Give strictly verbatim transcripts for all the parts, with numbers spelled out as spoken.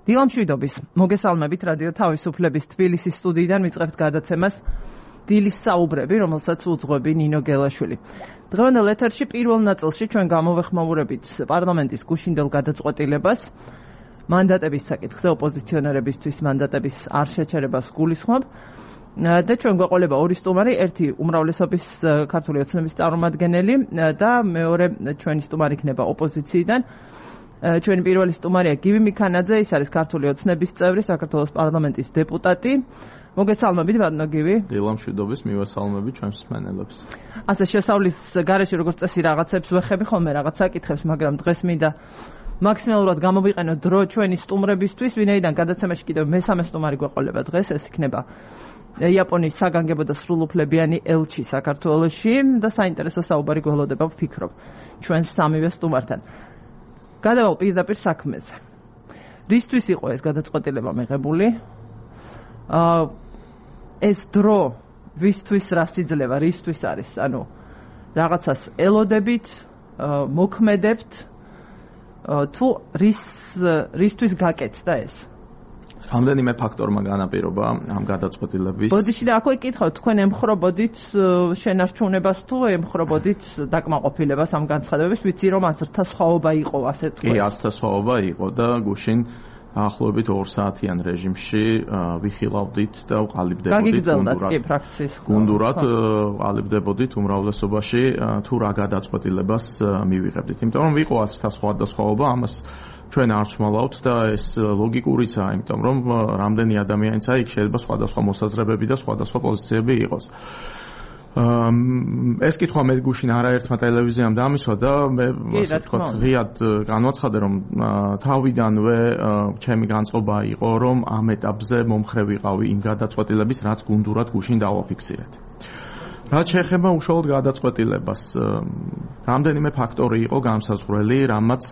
დილამშვიდობის მოგესალმებით რადიო თავისუფლების თბილისის სტუდიიდან ვიწყებთ გადაცემას დილის საუბრები, რომელსაც უძღვები ნინო გელაშვილი. დღევანდელ ეთერში პირველ ნაწილში ჩვენ გამოვეხმაურებით პარლამენტის გუშინდელ გადაწყვეტილებას მანდატების საკითხზე ოპოზიციონერებისთვის მანდატების არ შეჩერებას გულისხმობ და ჩვენ გვეყოლება ორი სტუმარი, ერთი უმრავლესობის ქართული ოცნების წარმომადგენელი და მეორე ჩვენი სტუმარი იქნება ოპოზიციიდან. ჩვენი პირველი სტუმარია გივი მიქანაძე, ის არის ქართული ოცნების წევრი, საქართველოს პარლამენტის დეპუტატი. მოგესალმებით, ბატონო გივი. დილამშვიდობის, მივესალმებით ჩვენს მსმენელებს. ასე შესავლის გარეშე როგორც წესი რაღაცებს ვეხები ხოლმე რაღაც საკითხებს, მაგრამ დღეს მინდა მაქსიმალურად გამოვიყენო დრო ჩვენი სტუმრებისთვის, ვინაიდან გადაცემაში კიდევ მესამე სტუმარი გვეყოლება დღეს, ეს იქნება იაპონიის საგანგებო და სრულუფლებიანი ელჩი საქართველოში და საინტერესო საუბარი გველოდება ვფიქრობ ჩვენს სამივე სტუმართან. გადავალ პირდაპირ საქმეზე. რისთვის იყო ეს გადაწყვეტილება მიღებული? აა ეს დრო ვისთვის რას იძლევა, რისთვის არის? ანუ რაღაცას ელოდებით, მოქმედებთ თუ რის რისთვის გაკეთდა ეს? რამდენიმე ფაქტორმა განაპირობა ამ გადაწყვეტილების. ბოდიში და აქვე კითხავთ, თქვენ ემხრობოდით შენარჩუნებას თუ ემხრობოდით დაკმაყოფილებას ამ განცხადებების? ვიცი რომ ათასთა სხვაობა იყო, ასე თქვენ. კი, ათასთა სხვაობა იყო და გუშინ ახლობით ორ საათიან რეჟიმში ვიხილავდით და ვყალიბდებოდით გუნდურად. გუნდურად ვყალიბდებოდით უმრავლესობაში თუ რა გადაწყვეტილებას მივიღებდით. იმიტომ რომ ვიყო ათასთა სხვადასხვაობა, ამას ჩვენ არ ვცმალავთ და ეს ლოგიკურიცაა, იმიტომ რომ რამდენი ადამიანია იქ შეიძლება სხვადასხვა მოსაზრებები და სხვადასხვა პოზიციები იყოს. ეს კითხვა მე გუშინ არაერთმა ტელევიზიამ დამისვა და მე ასე ვთქვათ ღიად განვაცხადე რომ თავიდანვე ჩემი განწყობა იყო რომ ამ ეტაპზე მომხრე ვიყავი იმ გადაწყვეტილების რაც გუნდურად გუშინ დავაფიქსირეთ. რაც შეეხება უშუალოდ გადაწყვეტილებას, რამდენიმე ფაქტორი იყო განსაზღვრელი, რამაც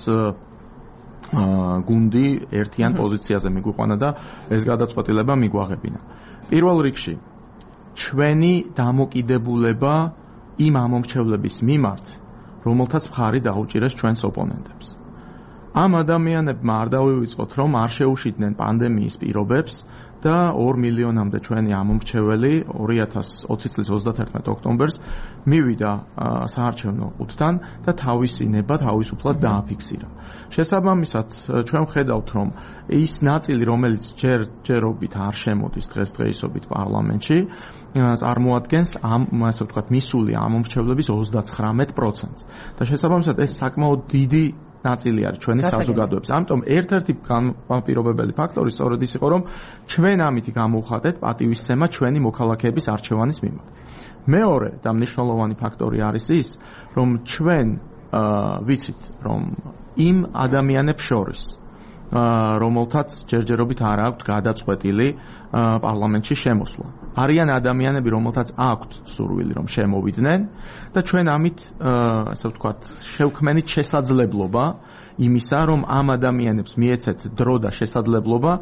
გუნდი ერთიან პოზიციაზე მიგვიყვანა და ეს გადაწყვეტილება მიგვაღებინა. პირველ რიგში ჩვენი დამოკიდებულება იმ ამომრჩევლების მიმართ, რომელთაც მხარი დაუჭირეს ჩვენს ოპონენტებს. ამ ადამიანებმა არ დავივიწყოთ, რომ არ შეუშიდნენ პანდემიის პირობებს და ორ მილიონამდე ჩვენი ამომრჩეველი ორი ათას ოცი წლის ოცდათერთმეტ ოქტომბერს მივიდა საარჩევნო ყუთთან და თავისი ნება თავისუფლად დააფიქსირა. შესაბამისად, ჩვენ ვხედავთ, რომ ის ნაწილი, რომელიც ჯერ ჯერობით არ შემოდის დღესდღეობით პარლამენტში, წარმოადგენს ამ, ასე ვთქვათ, მისული ამომრჩევლების ოცდაცხრამეტ პროცენტს. და შესაბამისად, ეს საკმაოდ დიდი ნაწილი არის ჩვენი საზოგადოების. ამიტომ ერთ-ერთი განპირობებელი ფაქტორი სწორედ ის იყო, რომ ჩვენ ამითი გამოვხატეთ პატივისცემა ჩვენი მოქალაქეების არჩევანის მიმართ. მეორე და მნიშვნელოვანი ფაქტორი არის ის, რომ ჩვენ ვიცით, რომ იმ ადამიანებს შორის, რომელთაც ჯერჯერობით არ აქვთ გადაწყვეტილი პარლამენტში შემოსვლა. არიან ადამიანები, რომელთაც აქვთ სურვილი, რომ შემოვიდნენ და ჩვენ ამით, ასე ვთქვათ, შევქმენით შესაძლებლობა იმისა, რომ ამ ადამიანებს მიეცეთ დრო და შესაძლებლობა,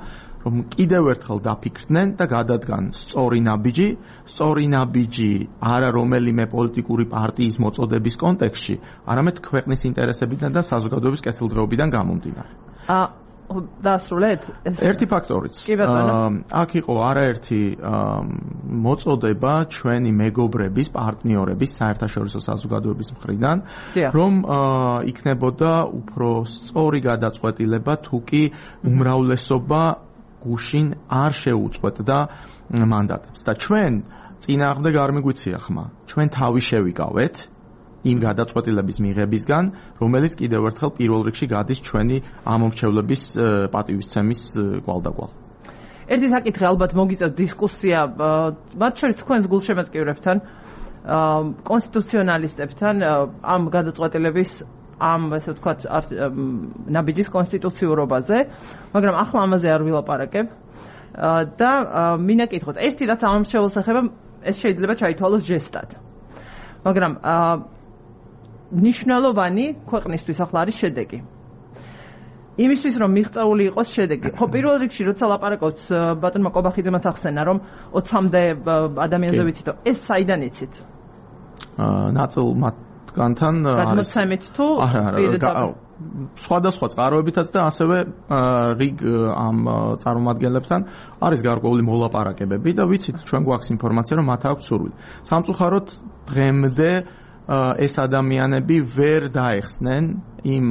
რომ კიდევ ერთხელ დაფიქრდნენ და გადადგან სწორი ნაბიჯი, სწორი ნაბიჯი არა რომელიმე პოლიტიკური პარტიის მოწოდების კონტექსტში, არამედ ქვეყნის ინტერესებიდან და საზოგადოების კეთილდღეობიდან გამომდინარე. დაასრულეთ? ერთი ფაქტორიც. აქ იყო არაერთი მოწოდება ჩვენი მეგობრების, პარტნიორების, საერთაშორისო საზოგადოების მხრიდან, რომ იქნებოდა უფრო სწორი გადაწყვეტილება, თუ კი უმრავლესობა გუშინ არ შეუწყვეტდა მანდატებს. და ჩვენ წინააღმდეგ არ მიგვიცია ხმა. ჩვენ თავი შევიკავეთ იმ გადაწყვეტილების მიღებისგან, რომელიც კიდევ ერთხელ პირველ რიგში გადის ჩვენი ამომრჩევლების პატივისცემის გვალდაგვალ. ერთი საკითხი ალბათ მოგიწევთ დისკუსია, მათ შორის თქვენს გულშემატკივრებთან, კონსტიტუციონალისტებთან ამ გადაწყვეტილების ამ ასე ვთქვათ ნაბიჯის კონსტიტუციურობაზე, მაგრამ ახლა ამაზე არ ვილაპარაკებ და მინდა კითხოთ, ერთი რაც ამომრჩეველს ეხება, ეს შეიძლება ჩაითვალოს ჟესტად. მაგრამ ნიშნულოვანი ქვეყნისთვის ახლა არის შედეგი. იმისთვის რომ მიღწეული იყოს შედეგი. ხო, პირველ რიგში როცა ლაპარაკობთ ბატონმა კობახიძემაც ახსენა, რომ ოცამდე ადამიანზე ვიცით, ეს საიდან იცით? აა ნაწილ მათგანთან არის. გადმოცემით თუ სხვადასხვა წყაროებითაც და ასევე რიგ ამ წარმომადგენლებთან არის გარკვეული მოლაპარაკებები და ვიცით ჩვენ გვაქვს ინფორმაცია რომ მათ აქვს სურვილი. სამწუხაროდ დღემდე ეს ადამიანები ვერ დაეხსნენ იმ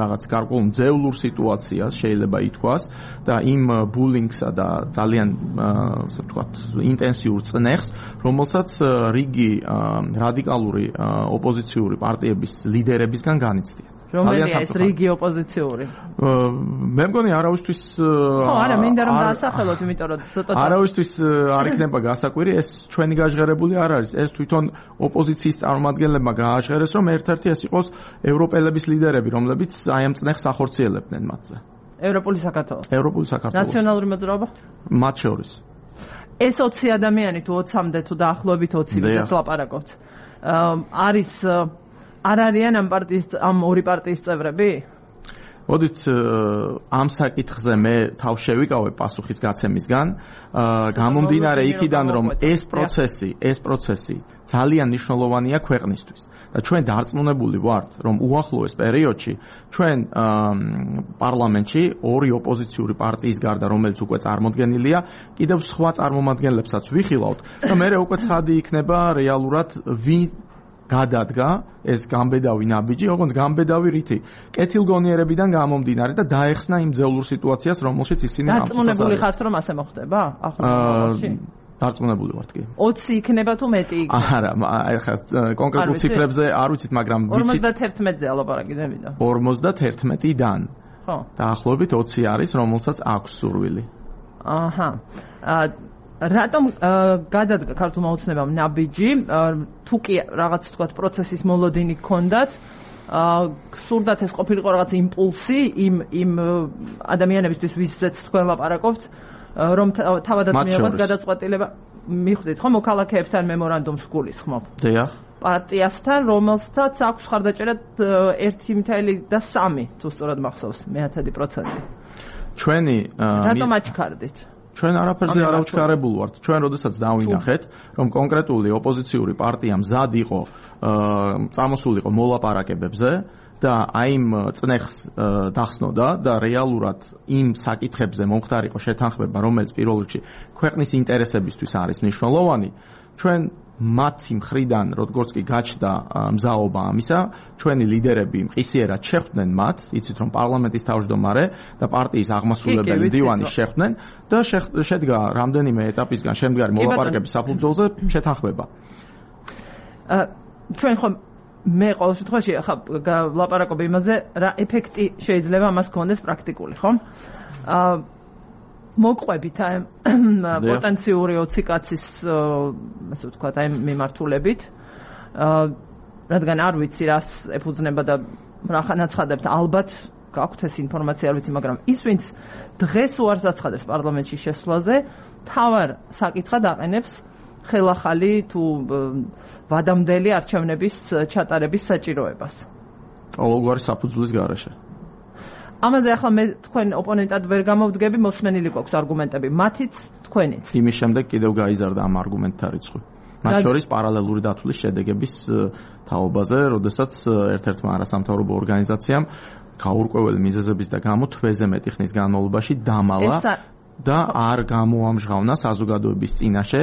რაღაც გარკვეულ მძევლურ სიტუაციას შეიძლება ითქვას და იმ ბულინგსა და ძალიან ასე ვთქვათ ინტენსიურ წნეხს, რომელსაც რიგი რადიკალური ოპოზიციური პარტიების ლიდერებისგან განიცდიან. რომელია ეს რიგი ოპოზიციური? მე მგონი არავისთვის ხო, არა, მინდა რომ დაასახელოთ, იმიტომ რომ ცოტა არავისთვის არ იქნება გასაკვირი, ეს ჩვენი გაჟღერებული არ არის. ეს თვითონ ოპოზიციის წარმომადგენლებმა გააჟღერეს, რომ ერთ-ერთი ეს იყოს ევროპელების ლიდერები, რომლებიც აი ამ წნეხს ახორციელებდნენ მათზე. ევროპული საქართველო. ევროპული საქართველო. ნაციონალური მოძრაობა? მათ შორის. ეს ოცი ადამიანი თუ ოცამდე თუ დაახლოებით ოცი ვიდრე ლაპარაკობთ. არის არ არიან ამ პარტიის ამ ორი პარტიის წევრები? მოდით ამ საკითხზე მე თავს შევიკავებ პასუხის გაცემისგან, გამომდინარე იქიდან რომ ეს პროცესი, ეს პროცესი ძალიან მნიშვნელოვანია ქვეყნისთვის და ჩვენ დარწმუნებული ვართ, რომ უახლოეს პერიოდში ჩვენ პარლამენტში ორი ოპოზიციური პარტიის გარდა, რომელიც უკვე წარმოდგენილია, კიდევ სხვა წარმომადგენლებსაც ვიხილავთ და მე უკვე ცხადი იქნება რეალურად ვინ გადადგა ეს გამბედავი ნაბიჯი, ოღონდ გამბედავი რითი? კეთილგონიერებიდან გამომდინარე და დაეხსნა იმ ძევლურ სიტუაციას, რომელშიც ისინი ამწუხარებენ. დარწმუნებული ხართ, რომ ასე მოხდება? ახლა დარწმუნებული ვართ კი. ოცი იქნება თუ მეტი იქნება? არა, ახლა კონკრეტულ ციფრებზე არ ვიცით, მაგრამ ვიცით ორმოცდაერთმეტზე ალაპარაკი დევიდა. ორმოცდაერთმეტიდან. ხო. დაახლოებით ოცი არის, რომელსაც აქვს სურვილი. აჰა. რატომ გადადგა ქართულმა ოცნებამ ნაბიჯი? თუ კი რაღაც თქვა პროცესის მოლოდინი გქონდათ, გსურდათ ეს ყოფილიყო რაღაც იმპულსი იმ იმ ადამიანებისთვის, ვისაც თქვენ ლაპარაკობთ, რომ თავადაც მიიღოთ გადაწყვეტილება, მიხვდით ხო მოქალაქეებთან მემორანდუმს გულისხმობ. დიახ. პარტიასთან, რომელსაც აქვს ხარდაჭერა ერთი და სამი, თუ სწორად მახსოვს, მეათედი პროცენტი. ჩვენი რატომ აჩქარდით? ჩვენ არაფერზე არ ავჩქარებულ ვართ. ჩვენ როდესაც დავინახეთ, რომ კონკრეტული ოპოზიციური პარტია მზად იყო, წამოსულიყო მოლაპარაკებებზე და აი იმ წნეხს დახსნოდა და რეალურად იმ საკითხებზე მომხდარიყო შეთანხმება, რომელიც პირველ რიგში ქვეყნის ინტერესებისთვის არის მნიშვნელოვანი, ჩვენ მათი მხრიდან, როგორც კი გაჩნდა მზაობა ამისა, ჩვენი ლიდერები მყისიერად შეხვდნენ მათ, იცით რომ პარლამენტის თავმჯდომარე და პარტიის აღმასრულებელი მდივანი შეხვდნენ და შედგა რამდენიმე ეტაპისგან შემდგარი მოლაპარაკების საფუძველზე შეთანხმება. ჩვენ ხომ მე ყოველ შემთხვევაში ხა ლაპარაკობ იმაზე, რა ეფექტი შეიძლება ამას გქონდეს პრაქტიკული, ხო? მოყვებით აი პოტენციური ოცი კაცის ასე ვთქვათ აი მიმართულებით, რადგან არ ვიცი რას ეფუძნება და რა ხანაცხადებთ, ალბათ გაქვთ ეს ინფორმაცია, არ ვიცი, მაგრამ ის ვინც დღეს უარს აცხადებს პარლამენტში შესვლაზე, თავარ საკითხად აყენებს ხელახალი თუ ვადამდელი არჩევნების ჩატარების საჭიროებას. ყოველგვარი საფუძვლის გარეშე. ამაზე ახლა მე თქვენ ოპონენტად ვერ გამოვდგები, მოსმენილი გვაქვს არგუმენტები, მათიც თქვენიც. იმის შემდეგ კიდევ გაიზარდა ამ არგუმენტთა რიცხვი. მათ შორის პარალელური დათვლის შედეგების თაობაზე, როდესაც ერთ-ერთმა არასამთავრობო ორგანიზაციამ გაურკვეველი მიზეზების და გამო თვეზე მეტი ხნის განმავლობაში დამალა და არ გამოამჟღავნა საზოგადოების წინაშე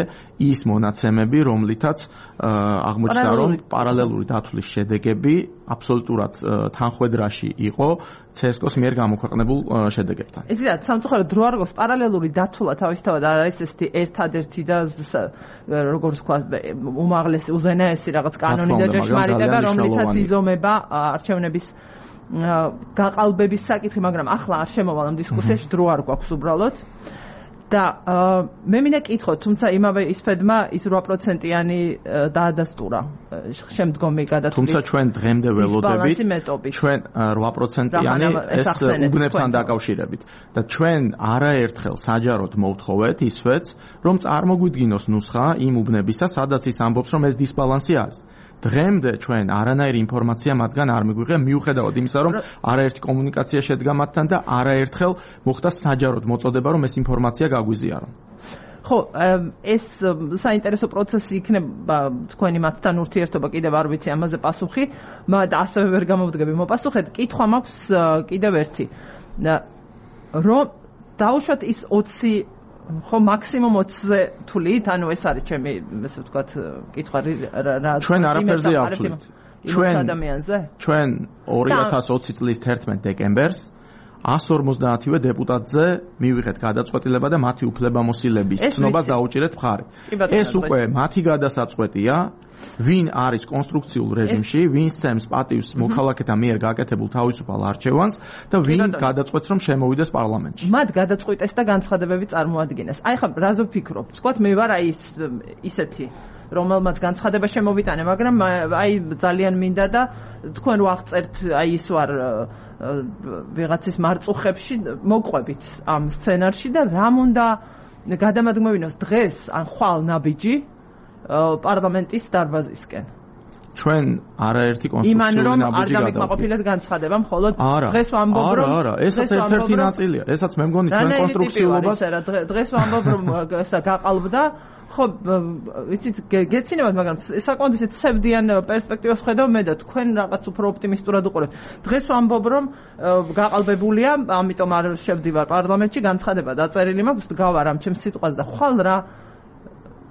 ის მონაცემები, რომლითაც აღმოჩნდა, რომ პარალელური დათვლის შედეგები აბსოლუტურად თანხვედრაში იყო ცესკოს მიერ გამოქვეყნებულ შედეგებთან. იცით, სამწუხაროდ დრო არ გვაქვს, პარალელური დათვლა თავისთავად არ არის ესეთი ერთადერთი და როგორც ვთქვა, უმაღლესი, უზენაესი რაღაც კანონი და ჭეშმარიტება, რომლითაც იზომება არჩევნების გაყალბების საკითხი, მაგრამ ახლა არ შემოვალ ამ დისკუსიაში, დრო არ გვაქვს უბრალოდ. და მე მინდა კითხოთ, თუმცა იმავე ისფედმა ის რვა პროცენტიანი დაადასტურა შემდგომი გადათვლით. თუმცა ჩვენ დღემდე ველოდებით, ჩვენ რვა პროცენტიანი ეს უბნებთან დაკავშირებით და ჩვენ არაერთხელ საჯაროდ მოვთხოვეთ ისვეც, რომ წარმოგვიდგინოს ნუსხა იმ უბნებისა, სადაც ის ამბობს, რომ ეს დისბალანსი არის. დღემდე ჩვენ არანაირი ინფორმაცია მათგან არ მიგვიღია, მიუხედავად იმისა, რომ არაერთი კომუნიკაცია შედგა მათთან და არაერთხელ მოხდა საჯაროდ მოწოდება, რომ ეს ინფორმაცია გაგვიზიარო. ხო, ეს საინტერესო პროცესი იქნება თქვენი მათთან ურთიერთობა კიდევ არ ვიცი ამაზე პასუხი, მაგრამ ასევე ვერ გამოვდგები მოპასუხეთ. კითხვა მაქვს კიდევ ერთი. რომ დაუშვათ ის ოცი ხო მაქსიმუმ ოცზე თვლით, ანუ ეს არის ჩემი ესე ვთქვათ კითხვა რა ჩვენ არაფერზე ავთვლით. ჩვენ ადამიანზე? ჩვენ ორი ათას ოცი წლის თერთმეტ დეკემბერს one fifty-ვე დეპუტატზე მივიღეთ გადაწყვეტილება და მათი უფლებამოსილების ცნობას დაუჭირეთ მხარი. ეს უკვე მათი გადასაწყვეტია, ვინ არის კონსტრუქციულ რეჟიმში, ვინ სცემს პატივს მოქალაქეთა მიერ გაკეთებულ თავისუფალ არჩევანს და ვინ გადაწყვეტს რომ შემოვიდეს პარლამენტში. მათ გადაწყვეტეს და განცხადებები წარმოადგენეს. აი ხა რაზე ვფიქრობ? ვთქვათ მე ვარ აი ისეთი რომელმაც განცხადება შემოვიტანე, მაგრამ აი ძალიან მინდა და თქვენ ვაღწერთ აი ის ვარ ვიღაცის მარწუხებში მოყვებით ამ სცენარში და რამ უნდა გადამადგმევინოს დღეს ან ხვალ ნაბიჯი პარლამენტის დარბაზისკენ. ჩვენ არაერთი კონსტრუქციული ნაბიჯი გადავდით. იმან რომ არ დამიკმაყოფილეთ განცხადება, მხოლოდ დღეს ვამბობ რომ არა, არა, ესაც ერთ-ერთი ნაწილია. ესაც მე მგონი ჩვენ კონსტრუქციულობას დღეს ვამბობ რომ ესა გაყალბდა ხო, იცით, გეცინებათ, მაგრამ საკმაოდ ისეთ ცევდიან პერსპექტივას ხედავ მე და თქვენ რაღაც უფრო ოპტიმისტურად უყურებთ. დღეს ვამბობ, რომ გაყალბებულია, ამიტომ არ შევდივარ პარლამენტში, განცხადება დაწერილი მაქვს, გავარ ამ ჩემს სიტყვას და ხვალ რა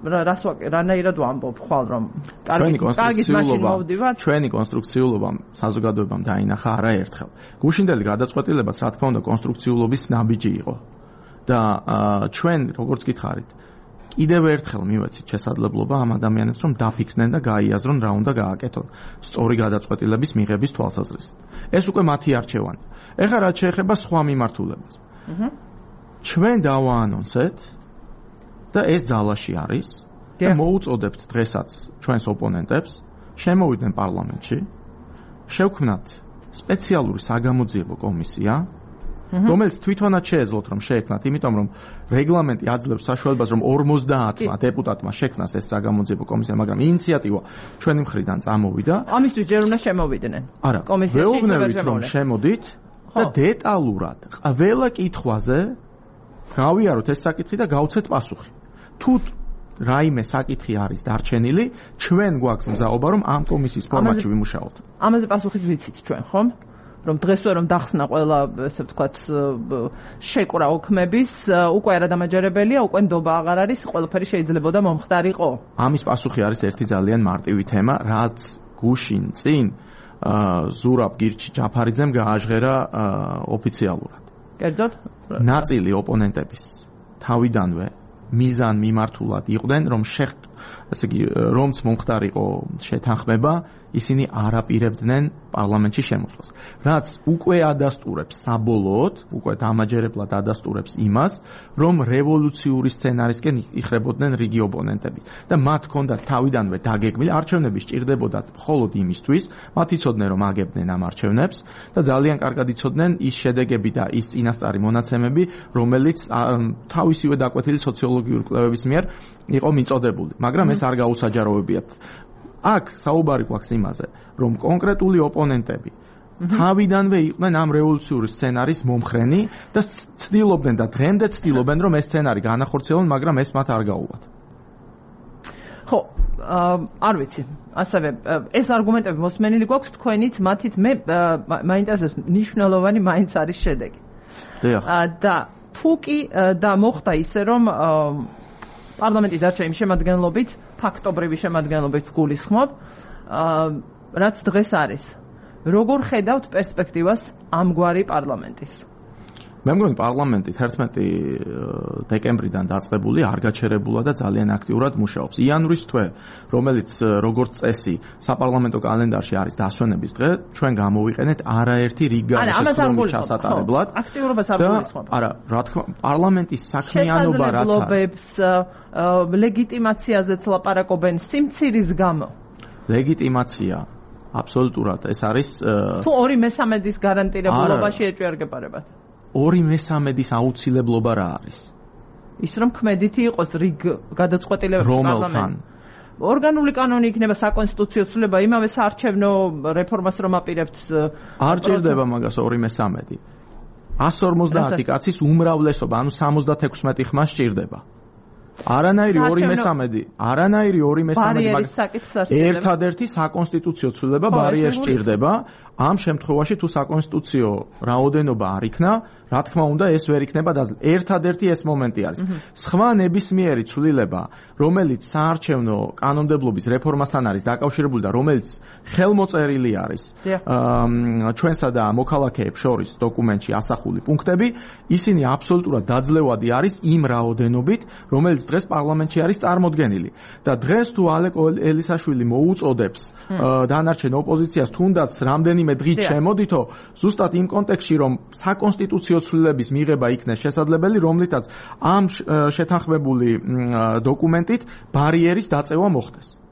რას რანაირად ვამბობ, ხვალ რომ კარგი კარგი მაშინ მოვდივარ. ჩვენი კონსტრუქციულობა საზოგადოებამ დაინახა არაერთხელ. გუშინდელი გადაწყვეტილებას, რა თქმა უნდა, კონსტრუქციულობის ნაბიჯი იყო. და ჩვენ, როგორც გითხარით, კიდევ ერთხელ მივეცით შესაძლებლობა ამ ადამიანებს რომ დაფიქრდნენ და გაიაზრონ რა უნდა გააკეთონ სწორი გადაწყვეტილების მიღების თვალსაზრისით. ეს უკვე მათი არჩევანი. ეხლა რაც შეეხება სხვა მიმართულებას. ჩვენ დავაანონსეთ და ეს ძალაში არის და მოუწოდებთ დღესაც ჩვენს ოპონენტებს შემოვიდნენ პარლამენტში, შევქმნათ სპეციალური საგამოძიებო კომისია, რომელიც თვითონაც შეეძლოთ რომ შეექმნათ, იმიტომ რომ რეგლამენტი აძლევს საშუალებას რომ ორმოცდაათმა დეპუტატმა შექმნას ეს საგამოძიებო კომისია, მაგრამ ინიციატივა ჩვენი მხრიდან წამოვიდა. ამისთვის ჯერ უნდა შემოვიდნენ. არა, ვეუბნებით რომ შემოდით და დეტალურად ყველა კითხვაზე გავიაროთ ეს საკითხი და გავცეთ პასუხი. თუ რაიმე საკითხი არის დარჩენილი, ჩვენ გვაქვს მზაობა რომ ამ კომისიის ფორმატში ვიმუშაოთ. ამაზე პასუხით ვიცით ჩვენ, ხომ? რომ დღესვე რომ დახსნა ყველა ესე ვთქვათ შეკრა ოქმების უკვე არადამაჯერებელია, უკვე ნდობა აღარ არის, ყველაფერი შეიძლებოდა მომხდარიყო. ამის პასუხი არის ერთი ძალიან მარტივი თემა, რაც გუშინ წინ ზურაბ გირჩი ჯაფარიძემ გააჟღერა ოფიციალურად. კერძოდ, ნაწილი ოპონენტების თავიდანვე მიზან მიმართულად იყვნენ, რომ შეხ ესე იგი რომც მომხდარიყო შეთანხმება, ისინი არ აპირებდნენ პარლამენტში შემოსვლას. რაც უკვე ადასტურებს საბოლოოდ, უკვე დამაჯერებლად ადასტურებს იმას, რომ რევოლუციური სცენარისკენ იხრებოდნენ რიგი ოპონენტები და მათ ჰქონდათ თავიდანვე დაგეგმილი არჩევნები სჭირდებოდათ მხოლოდ იმისთვის, მათ იცოდნენ რომ აგებდნენ ამ არჩევნებს და ძალიან კარგად იცოდნენ ის შედეგები და ის წინასწარი მონაცემები, რომელიც თავისივე დაკვეთილი სოციოლოგიური კვლევების მიერ იყო მიწოდებული, მაგრამ ეს არ გაუსაჯაროებიათ. აქ საუბარი გვაქვს იმაზე, რომ კონკრეტული ოპონენტები თავიდანვე იყვნენ ამ რევოლუციური სცენარის მომხრენი და ცდილობდნენ და დღემდე ცდილობენ, რომ ეს სცენარი განახორციელონ, მაგრამ ეს მათ არ გაუვათ. ხო, არ ვიცი. ასევე ეს არგუმენტები მოსმენილი გვაქვს თქვენით, მათით მე მაინტერესებს მნიშვნელოვანი მაინც არის შედეგი. და თუ კი და მოხდა ისე, რომ პარლამენტის არჩევნების შემადგენლობით, ფაქტობრივი შემადგენლობით გულისხმობ, რაც დღეს არის. როგორ ხედავთ პერსპექტივას ამგვარი პარლამენტის? მე მგონი პარლამენტი თერთმეტი დეკემბრიდან დაწყებული არ გაჩერებულა და ძალიან აქტიურად მუშაობს. იანვრის თვე, რომელიც როგორც წესი საპარლამენტო კალენდარში არის დასვენების დღე, ჩვენ გამოვიყენეთ არაერთი რიგანა შესრულების ჩასატარებლად. აქტიურობას არ გულისხმობ. არა, რა თქმა უნდა, პარლამენტის საქმიანობა რაც არის. ლეგიტიმაციაზეც ლაპარაკობენ სიმცირის გამო. ლეგიტიმაცია აბსოლუტურად ეს არის თუ ორი მესამედის გარანტირებულობაში ეჭვიარგებარებათ. ორი მესამედის აუცილებლობა რა არის? ის რომ ქმედითი იყოს რიგ გადაწყვეტილებების რომელთან ორგანული კანონი იქნება საკონსტიტუციო ცვლილება იმავე საარჩევნო რეფორმას რომ აპირებთ არ ჭირდება მაგას ორი მესამედი. one forty კაცის უმრავლესობა, ანუ სამოცდათექვსმეტი ხმა სჭირდება. არანაირი ორი მესამედი, არანაირი ორი მესამედი, ბარიერის საკითხს არ სჭირდება. ერთადერთი საკონსტიტუციო ცვლილება ბარიერს სჭირდება. ამ შემთხვევაში თუ საკონსტიტუციო რაოდენობა არ იქნა, რა თქმა უნდა ეს ვერ იქნება და ერთადერთი ეს მომენტი არის. სხვა ნებისმიერი ცვლილება, რომელიც საარჩევნო კანონმდებლობის რეფორმასთან არის დაკავშირებული და რომელიც ხელმოწერილი არის ჩვენსა და მოქალაქეებს შორის დოკუმენტში ასახული პუნქტები, ისინი აბსოლუტურად დაძლევადი არის იმ რაოდენობით, რომელიც დღეს პარლამენტში არის წარმოდგენილი. და დღეს თუ ალეკო ელისაშვილი მოუწოდებს დანარჩენ ოპოზიციას თუნდაც რამდენიმე დღით შემოდითო, ზუსტად იმ კონტექსტში, რომ საკონსტიტუციო ცვლილების მიღება იქნეს შესაძლებელი, რომლითაც ამ შეთანხმებული დოკუმენტით ბარიერის დაწევა მოხდეს.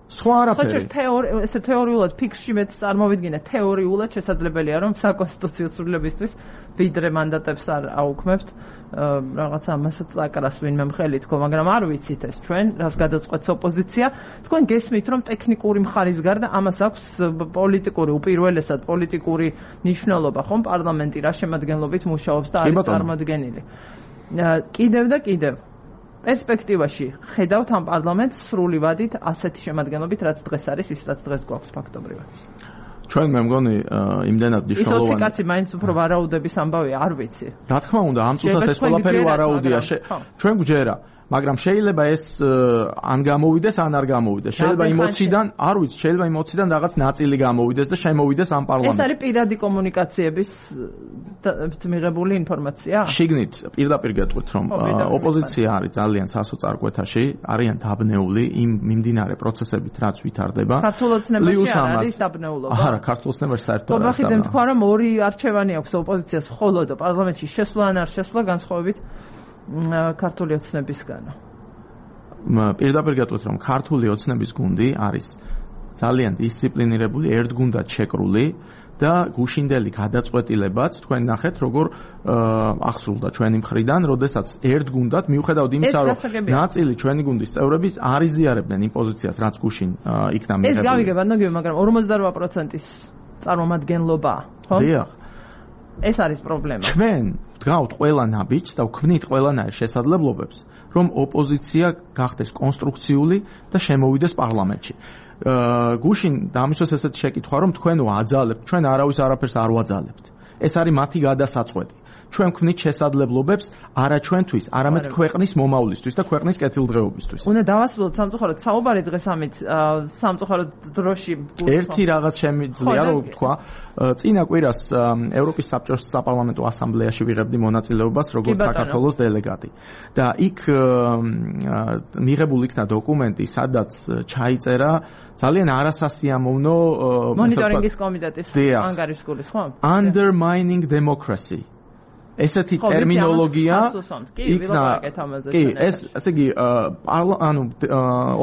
სხვა არაფერი. ხო, თეორი, ესე თეორიულად ფიქრში მეც წარმოვიდგინე, თეორიულად შესაძლებელია, რომ საკონსტიტუციო ცვლილებისთვის ვიდრე მანდატებს არ აუქმებთ, რაღაცა ამასაც აკრას ვინმე მხელი თქო, მაგრამ არ ვიცით ეს ჩვენ, რას გადაწყვეტს ოპოზიცია. თქვენ გესმით, რომ ტექნიკური მხარის გარდა ამას აქვს პოლიტიკური, უპირველესად პოლიტიკური მნიშვნელობა, ხომ პარლამენტი რა შემადგენლობით მუშაობს და არის წარმოდგენილი. კიდევ და კიდევ პერსპექტივაში ხედავთ ამ პარლამენტს სრული ვადით ასეთი შემადგენლობით, რაც დღეს არის, ის რაც დღეს გვაქვს ფაქტობრივად. ჩვენ მე მგონი იმდენად მნიშვნელოვანი. ისოცი კაცი მაინც უფრო ვარაუდების ამბავი არ ვიცი. რა თქმა უნდა, ამ წუთას ეს ყველაფერი ვარაუდია. ჩვენ გვჯერა, მაგრამ შეიძლება ეს ან გამოვიდეს, ან არ გამოვიდეს. შეიძლება იმოციდან, არ ვიცი, შეიძლება იმოციდან რაღაც ნაწილი გამოვიდეს და შემოვიდეს ამ პარლამენტში. ეს არის პირადი კომუნიკაციების მიღებული ინფორმაცია? შიგნით პირდაპირ გეტყვით, რომ ოპოზიცია არის ძალიან სასოწარკვეთაში, არიან დაბნეული იმ მიმდინარე პროცესებით, რაც ვითარდება. ქართულ ოცნებაში არ არის დაბნეულობა? არა, ქართულ ოცნებაში საერთოდ არ არის. გობახიძემ თქვა, რომ ორი არჩევანი აქვს ოპოზიციას მხოლოდ პარლამენტში შესვლა ან არ შესვლა განსხვავებით ქართული ოცნებისგანო. პირდაპირ გეტყვით, რომ ქართული ოცნების გუნდი არის ძალიან დისციპლინირებული, ერთგუნდად შეკრული და გუშინდელი გადაწყვეტილებაც თქვენ ნახეთ, როგორ ახსრულდა ჩვენი მხრიდან, როდესაც ერთგუნდად მიუხედავად იმისა, რომ ნაწილი ჩვენი გუნდის წევრების არ იზიარებდნენ იმ პოზიციას, რაც გუშინ იქნა მიღებული. ეს გავიგებ, ნაგები, მაგრამ ორმოცდარვა პროცენტის წარმომადგენლობა, ხო? დიახ. ეს არის პრობლემა. ჩვენ ვდგავთ ყველა ნაბიჯს და ვქმნით ყველანაირ შესაძლებლობებს, რომ ოპოზიცია გახდეს კონსტრუქციული და შემოვიდეს პარლამენტში. გუშინ დამისვეს ესეთი შეკითხვა, რომ თქვენო აძალებთ, ჩვენ არავის არაფერს არ ვაძალებთ. ეს არის მათი გადასაწყვეტი. ჩვენ ვქმნით შესაძლებლობებს არა ჩვენთვის, არამედ ქვეყნის მომავლისთვის და ქვეყნის კეთილდღეობისთვის. უნდა დავასრულოთ სამწუხაროდ საუბარი დღეს ამით სამწუხაროდ დროში ერთი რაღაც შემიძლია რომ ვთქვა, წინა კვირას ევროპის საბჭოს საპარლამენტო ასამბლეაში ვიღებდი მონაწილეობას როგორც საქართველოს დელეგატი. და იქ მიღებული იქნა დოკუმენტი, სადაც ჩაიწერა ძალიან არასასიამოვნო მონიტორინგის კომიტეტის ანგარიშგულის, ხო? Undermining democracy. ესეთი ტერმინოლოგია იქნა კი ეს ესე იგი ანუ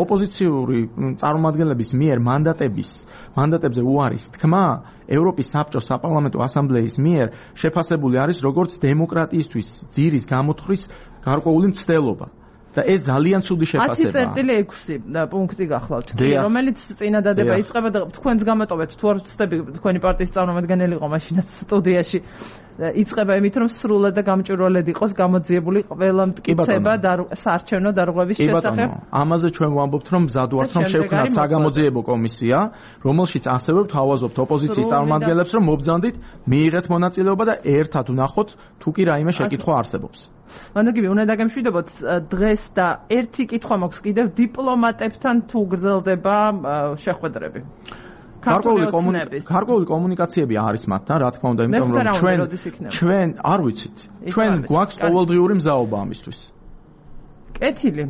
ოპოზიციური წარმომადგენლების მიერ მანდატების მანდატებზე უარის თქმა ევროპის საბჭოს საპარლამენტო ასამბლეის მიერ შეფასებული არის როგორც დემოკრატიისთვის ძირის გამოთვლის გარკვეული მცდელობა. და ეს ძალიან ცუდი შეფასებაა. ათი წერტილი ექვსი პუნქტი გახლავთ, რომელიც წინადადება იწყება და თქვენს გამოტოვეთ თუ არ ვცდები თქვენი პარტიის წარმომადგენელი იყო მაშინაც სტუდიაში. იწყება იმით, რომ სრულად და გამჭვირვალედ იყოს გამოძიებული ყველა მტკიცება და საარჩევნო დარღვევის შესახებ. ამაზე ჩვენ ვამბობთ, რომ მზად ვართ, რომ შევქმნათ საგამოძიებო კომისია, რომელშიც ასევე ვთავაზობთ ოპოზიციის წარმომადგენლებს, რომ მობრძანდით, მიიღეთ მონაწილეობა და ერთად ვნახოთ, თუ კი რაიმე შეკითხვა არსებობს. მანდაგივი უნდა დაგემშვიდობოთ დღეს და ერთი კითხვა მაქვს კიდევ დიპლომატებთან თუ გრძელდება შეხვედრები. გარკვეული კომუნიკაციები არის მათთან, რა თქმა უნდა, იმიტომ რომ ჩვენ ჩვენ არ ვიცით. ჩვენ გვაქვს ყოველდღიური მზაობა ამისთვის. კეთილი.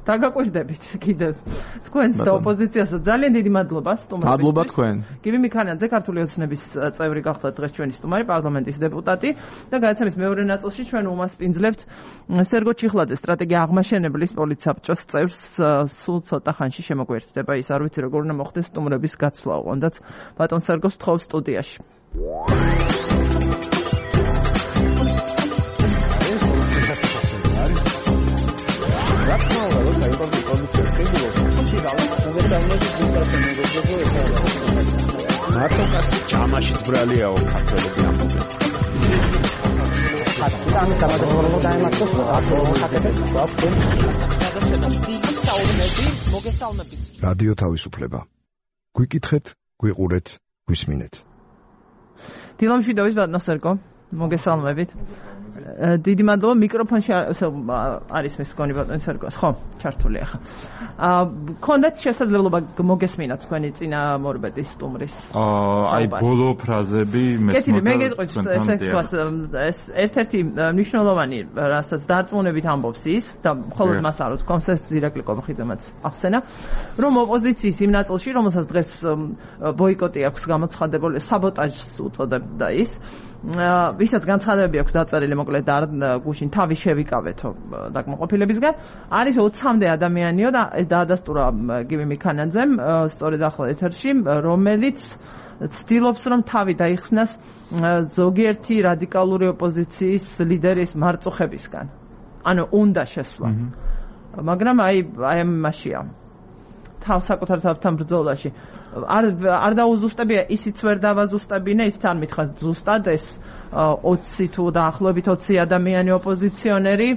დაგაკვირდებით კიდევ თქვენს და ოპოზიციასაც ძალიან დიდი მადლობა სტუმრობისთვის. მადლობა თქვენ. გივი მიქანიძე ქართული ოცნების წევრი გახდათ დღეს ჩვენი სტუმარი, პარლამენტის დეპუტატი და გადაცემის მეორე ნაწილში ჩვენ უმასპინძლებთ სერგო ჩიხლაძე, სტრატეგია აღმაშენებლის პოლიცსაბჭოს წევრს. სულ ცოტა ხანში შემოგვერთდება ის, არ ვიცი როგორ უნდა მოხდეს სტუმრების გაცვლა, ოღონდაც ბატონ სერგოს თხოვს სტუდიაში. მარტო კაცი ჯამაშიც ბრალიაო ქართველები ამბობენ. ხატი. ამის გამოდროულად დაემართოს აქტუალურ ხატებს გვაქვს. რადიო თავისუფლება. გვიკითხეთ, გვიყურეთ, გვისმინეთ. დილამშვიდობის ბატონო მოგესალმებით. დიდი მადლობა მიკროფონში არის ეს გონი ბატონი სერგოს ხო ჩართული ახლა. აა კონდეთ შესაძლებლობა მოგესმინათ თქვენი წინამორბედის სტუმრის. აა აი ბოლო ფრაზები მესმოდა. მე გეტყვით ესე თქვა ეს ერთ-ერთი მნიშვნელოვანი რასაც დარწმუნებით ამბობს ის და მხოლოდ მას არ ვთქვამს ეს ირაკლი კობახიძემაც ახსენა რომ ოპოზიციის იმ ნაწილში რომელსაც დღეს ბოიკოტი აქვს გამოცხადებული საბოტაჟს უწოდებდა ის ვისაც განცხადებები აქვს დაწერილი მოკლედ და გუშინ თავი შევიკავეთო დაკმაყოფილებისგან არის ოცამდე ადამიანიო და ეს დაადასტურა გივი მიქანაძემ სწორედ ახლა ეთერში რომელიც ცდილობს რომ თავი დაიხსნას ზოგიერთი რადიკალური ოპოზიციის ლიდერის მარწუხებისგან ანუ უნდა შესვლა მაგრამ აი აი ამაშია თავ საკუთარ თავთან ბრძოლაში არ არ დაუზუსტებია ისიც ვერ დავაზუსტებინე ის თან მითხრა ზუსტად ეს ოცი თუ დაახლოებით ოცი ადამიანი ოპოზიციონერი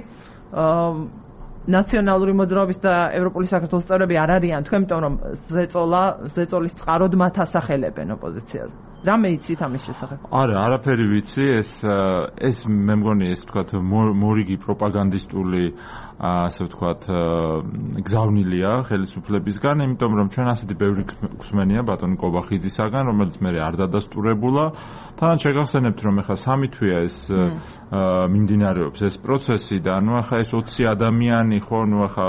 ნაციონალური მოძრაობის და ევროპული საქართველოს წევრები არ არიან თქვენ იმიტომ რომ ზეწოლა ზეწოლის წყაროდ მათ ასახელებენ ოპოზიციაზე რამე იცით ამის შესახებ? არა, არაფერი ვიცი, ეს ეს მე მგონი ეს თქვათ მორიგი პროპაგანდისტული ასე ვთქვათ გზავნილია ხელისუფლებისგან, იმიტომ რომ ჩვენ ასეთი ბევრი გვსმენია ბატონი კობახიძისაგან, რომელიც მე არ დადასტურებულა. თან შეგახსენებთ რომ ეხლა სამი თვეა ეს მიმდინარეობს ეს პროცესი და ნუ ახლა ეს ოცი ადამიანი ხო, ნუ ახლა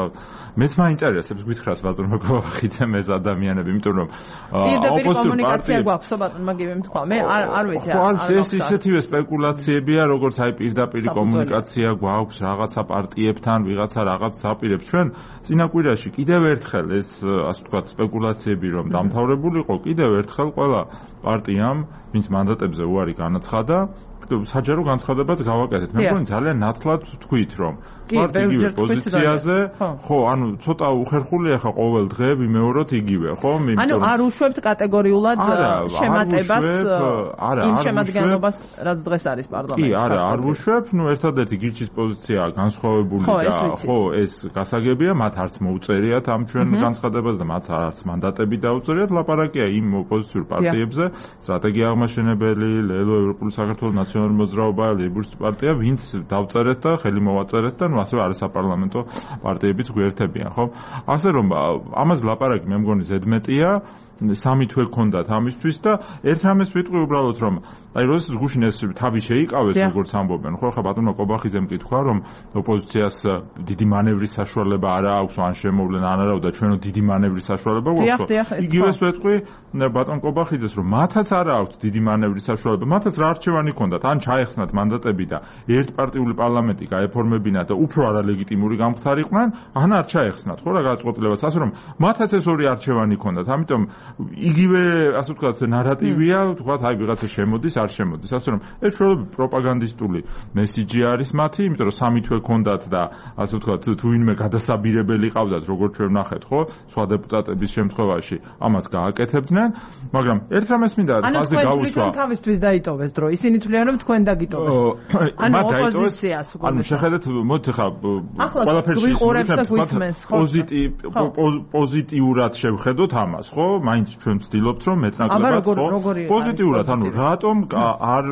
მეც მაინტერესებს გითხრას ბატონო კობახიძემ ეს ადამიანები, იმიტომ რომ ოპოზიციური კომუნიკაცია გვაქვსო ბატონმა გივი თქვა. მე არ არ ვიცი. ხო, ეს ისეთივე სპეკულაციებია, როგორც აი პირდაპირი კომუნიკაცია გვაქვს რაღაცა პარტიებთან, ვიღაცა რაღაც აპირებს. ჩვენ წინაკვირაში კიდევ ერთხელ ეს ასე ვთქვათ სპეკულაციები რომ დამთავრებულიყო, კიდევ ერთხელ ყველა პარტიამ, ვინც მანდატებზე უარი განაცხადა, საჯარო განცხადებაც გავაკეთეთ. მე მგონი ძალიან ნათლად ვთქვით რომ პარტიების პოზიციაზე, ხო, ანუ ცოტა უხერხულია ხა ყოველ დღე ვიმეოროთ იგივე, ხო? ანუ არ უშვებთ კატეგორიულად შემატებას იმ შემადგენლობას, რაც დღეს არის პარლამენტში. კი, არა, არ უშვებ, ნუ ერთადერთი გირჩის პოზიცია განსხვავებული და ხო, ეს გასაგებია, მათ არც მოუწერიათ ამ ჩვენ განცხადებას და მათ არც მანდატები დაუწერიათ, ლაპარაკია იმ ოპოზიციურ პარტიებზე, სტრატეგია აღმაშენებელი, ლელო ევროპული საქართველოს ნაციონალური მოძრაობა, ლეიბურისტი პარტია, ვინც დავწერეთ და ხელი მოვაწერეთ და ნუ ასევე არასაპარლამენტო პარტიებიც გვერდებიან, ხო? ასე რომ ამას ლაპარაკი მე მგონი ზედმეტია სამი თვე გქონდათ ამისთვის და ერთ რამეს ვიტყვი უბრალოდ რომ აი როდესაც გუშინ ეს თავი შეიკავეს როგორც ამბობენ ხო ხა ბატონო კობახიძემ კითხვა რომ ოპოზიციას დიდი მანევრის საშუალება არ აქვს ან შემოვლენ ან არა და ჩვენო დიდი მანევრის საშუალება გვაქვს იგივეს ვიტყვი ბატონ კობახიძეს რომ მათაც არ აქვს დიდი მანევრის საშუალება მათაც რა არჩევანი ჰქონდათ ან ჩაეხსნათ მანდატები და ერთპარტიული პარლამენტი გაეფორმებინათ და უფრო არალეგიტიმური გამხდარიყვნენ ან არ ჩაეხსნათ ხო რა გადაწყვეტილებას ასე რომ მათაც ეს ორი არჩევანი ჰქონდათ ამიტომ იგივე ასე ვთქვათ ნარატივია ვთქვათ აი ვიღაცა შემოდის არ შემოდის ასე რომ ეს შეიძლება პროპაგანდისტული მესიჯი არის მათი იმიტომ რომ სამი თვე ჰქონდათ და ასე ვთქვათ თუ ვინმე გადასაბირებელი ყავდათ როგორც ჩვენ ვნახეთ ხო სხვა დეპუტატების შემთხვევაში ამას გააკეთებდნენ მაგრამ ერთ რამეს მინდა ხაზი გავუსვა ანუ თავისთვის დაიტოვეს დრო ისინი თვლიან რომ თქვენ დაგიტოვეს ანუ ოპოზიციას უკვე ანუ შეხედეთ მოდი ხა ყველაფერში პოზიტივ პოზიტიურად შევხედოთ ამას ხო მაინც ჩვენ ვცდილობთ რომ მეტნაკლებად ხო პოზიტიურად ანუ რატომ არ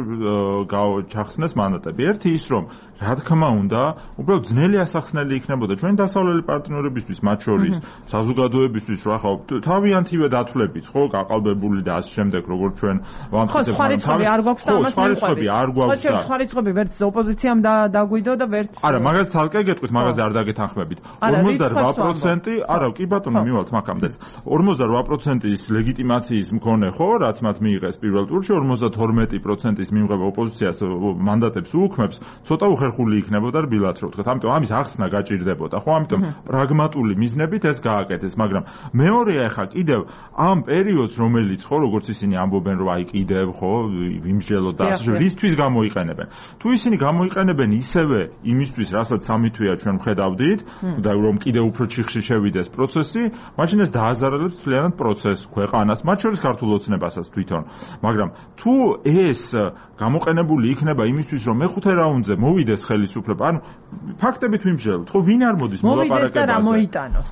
ჩახსნეს მანდატები ერთი ის რომ რა თქმა უნდა უბრალოდ ძნელი ასახსნელი იქნებოდა ჩვენ დასავლელი პარტნიორებისთვის მათ შორის საზოგადოებისთვის რა ხო თავიანთივე დათვლებით ხო გაყალბებული და ასე შემდეგ როგორც ჩვენ ვამტკიცებთ ხო სხვა არ გვაქვს და ამას მეყვები არ გვაქვს და სხვა რიცხვები ვერც ოპოზიციამ დაგვიდო და ვერც არა მაგას თალკე გეტყვით მაგაზე არ დაგეთანხმებით ორმოცდარვა პროცენტი არა კი ბატონო მივალთ მაგამდე ორმოცდარვა პროცენტის ლეგიტიმაციის მქონე ხო რაც მათ მიიღეს პირველ ტურში ორმოცდათორმეტი პროცენტის მიმღება ოპოზიციას მანდატებს უუქმებს ცოტა მოხერხული იქნებოდა რბილად რო ვთქვათ. ამიტომ ამის ახსნა გაჭირდებოდა, ხო? ამიტომ პრაგმატული მიზნებით ეს გააკეთეს, მაგრამ მეორეა ახლა კიდევ ამ პერიოდს, რომელიც ხო, როგორც ისინი ამბობენ, რომ აი კიდევ ხო, ვიმსჯელოთ და ასე რისთვის გამოიყენებენ. თუ ისინი გამოიყენებენ ისევე იმისთვის, რასაც სამი თვეა ჩვენ ვხედავდით და რომ კიდევ უფრო ჩიხში შევიდეს პროცესი, მაშინ ეს დააზარალებს მთლიანად პროცესს, ქვეყანას, მათ შორის ქართულ ოცნებასაც თვითონ. მაგრამ თუ ეს გამოყენებული იქნება იმისთვის, რომ მეხუთე რაუნდზე მოვიდეს ხელისუფლება, ანუ ფაქტებით ვიმსჯელოთ, ხო, ვინ არ მოდის მოლაპარაკებაზე? მოვიდეს და რა მოიტანოს?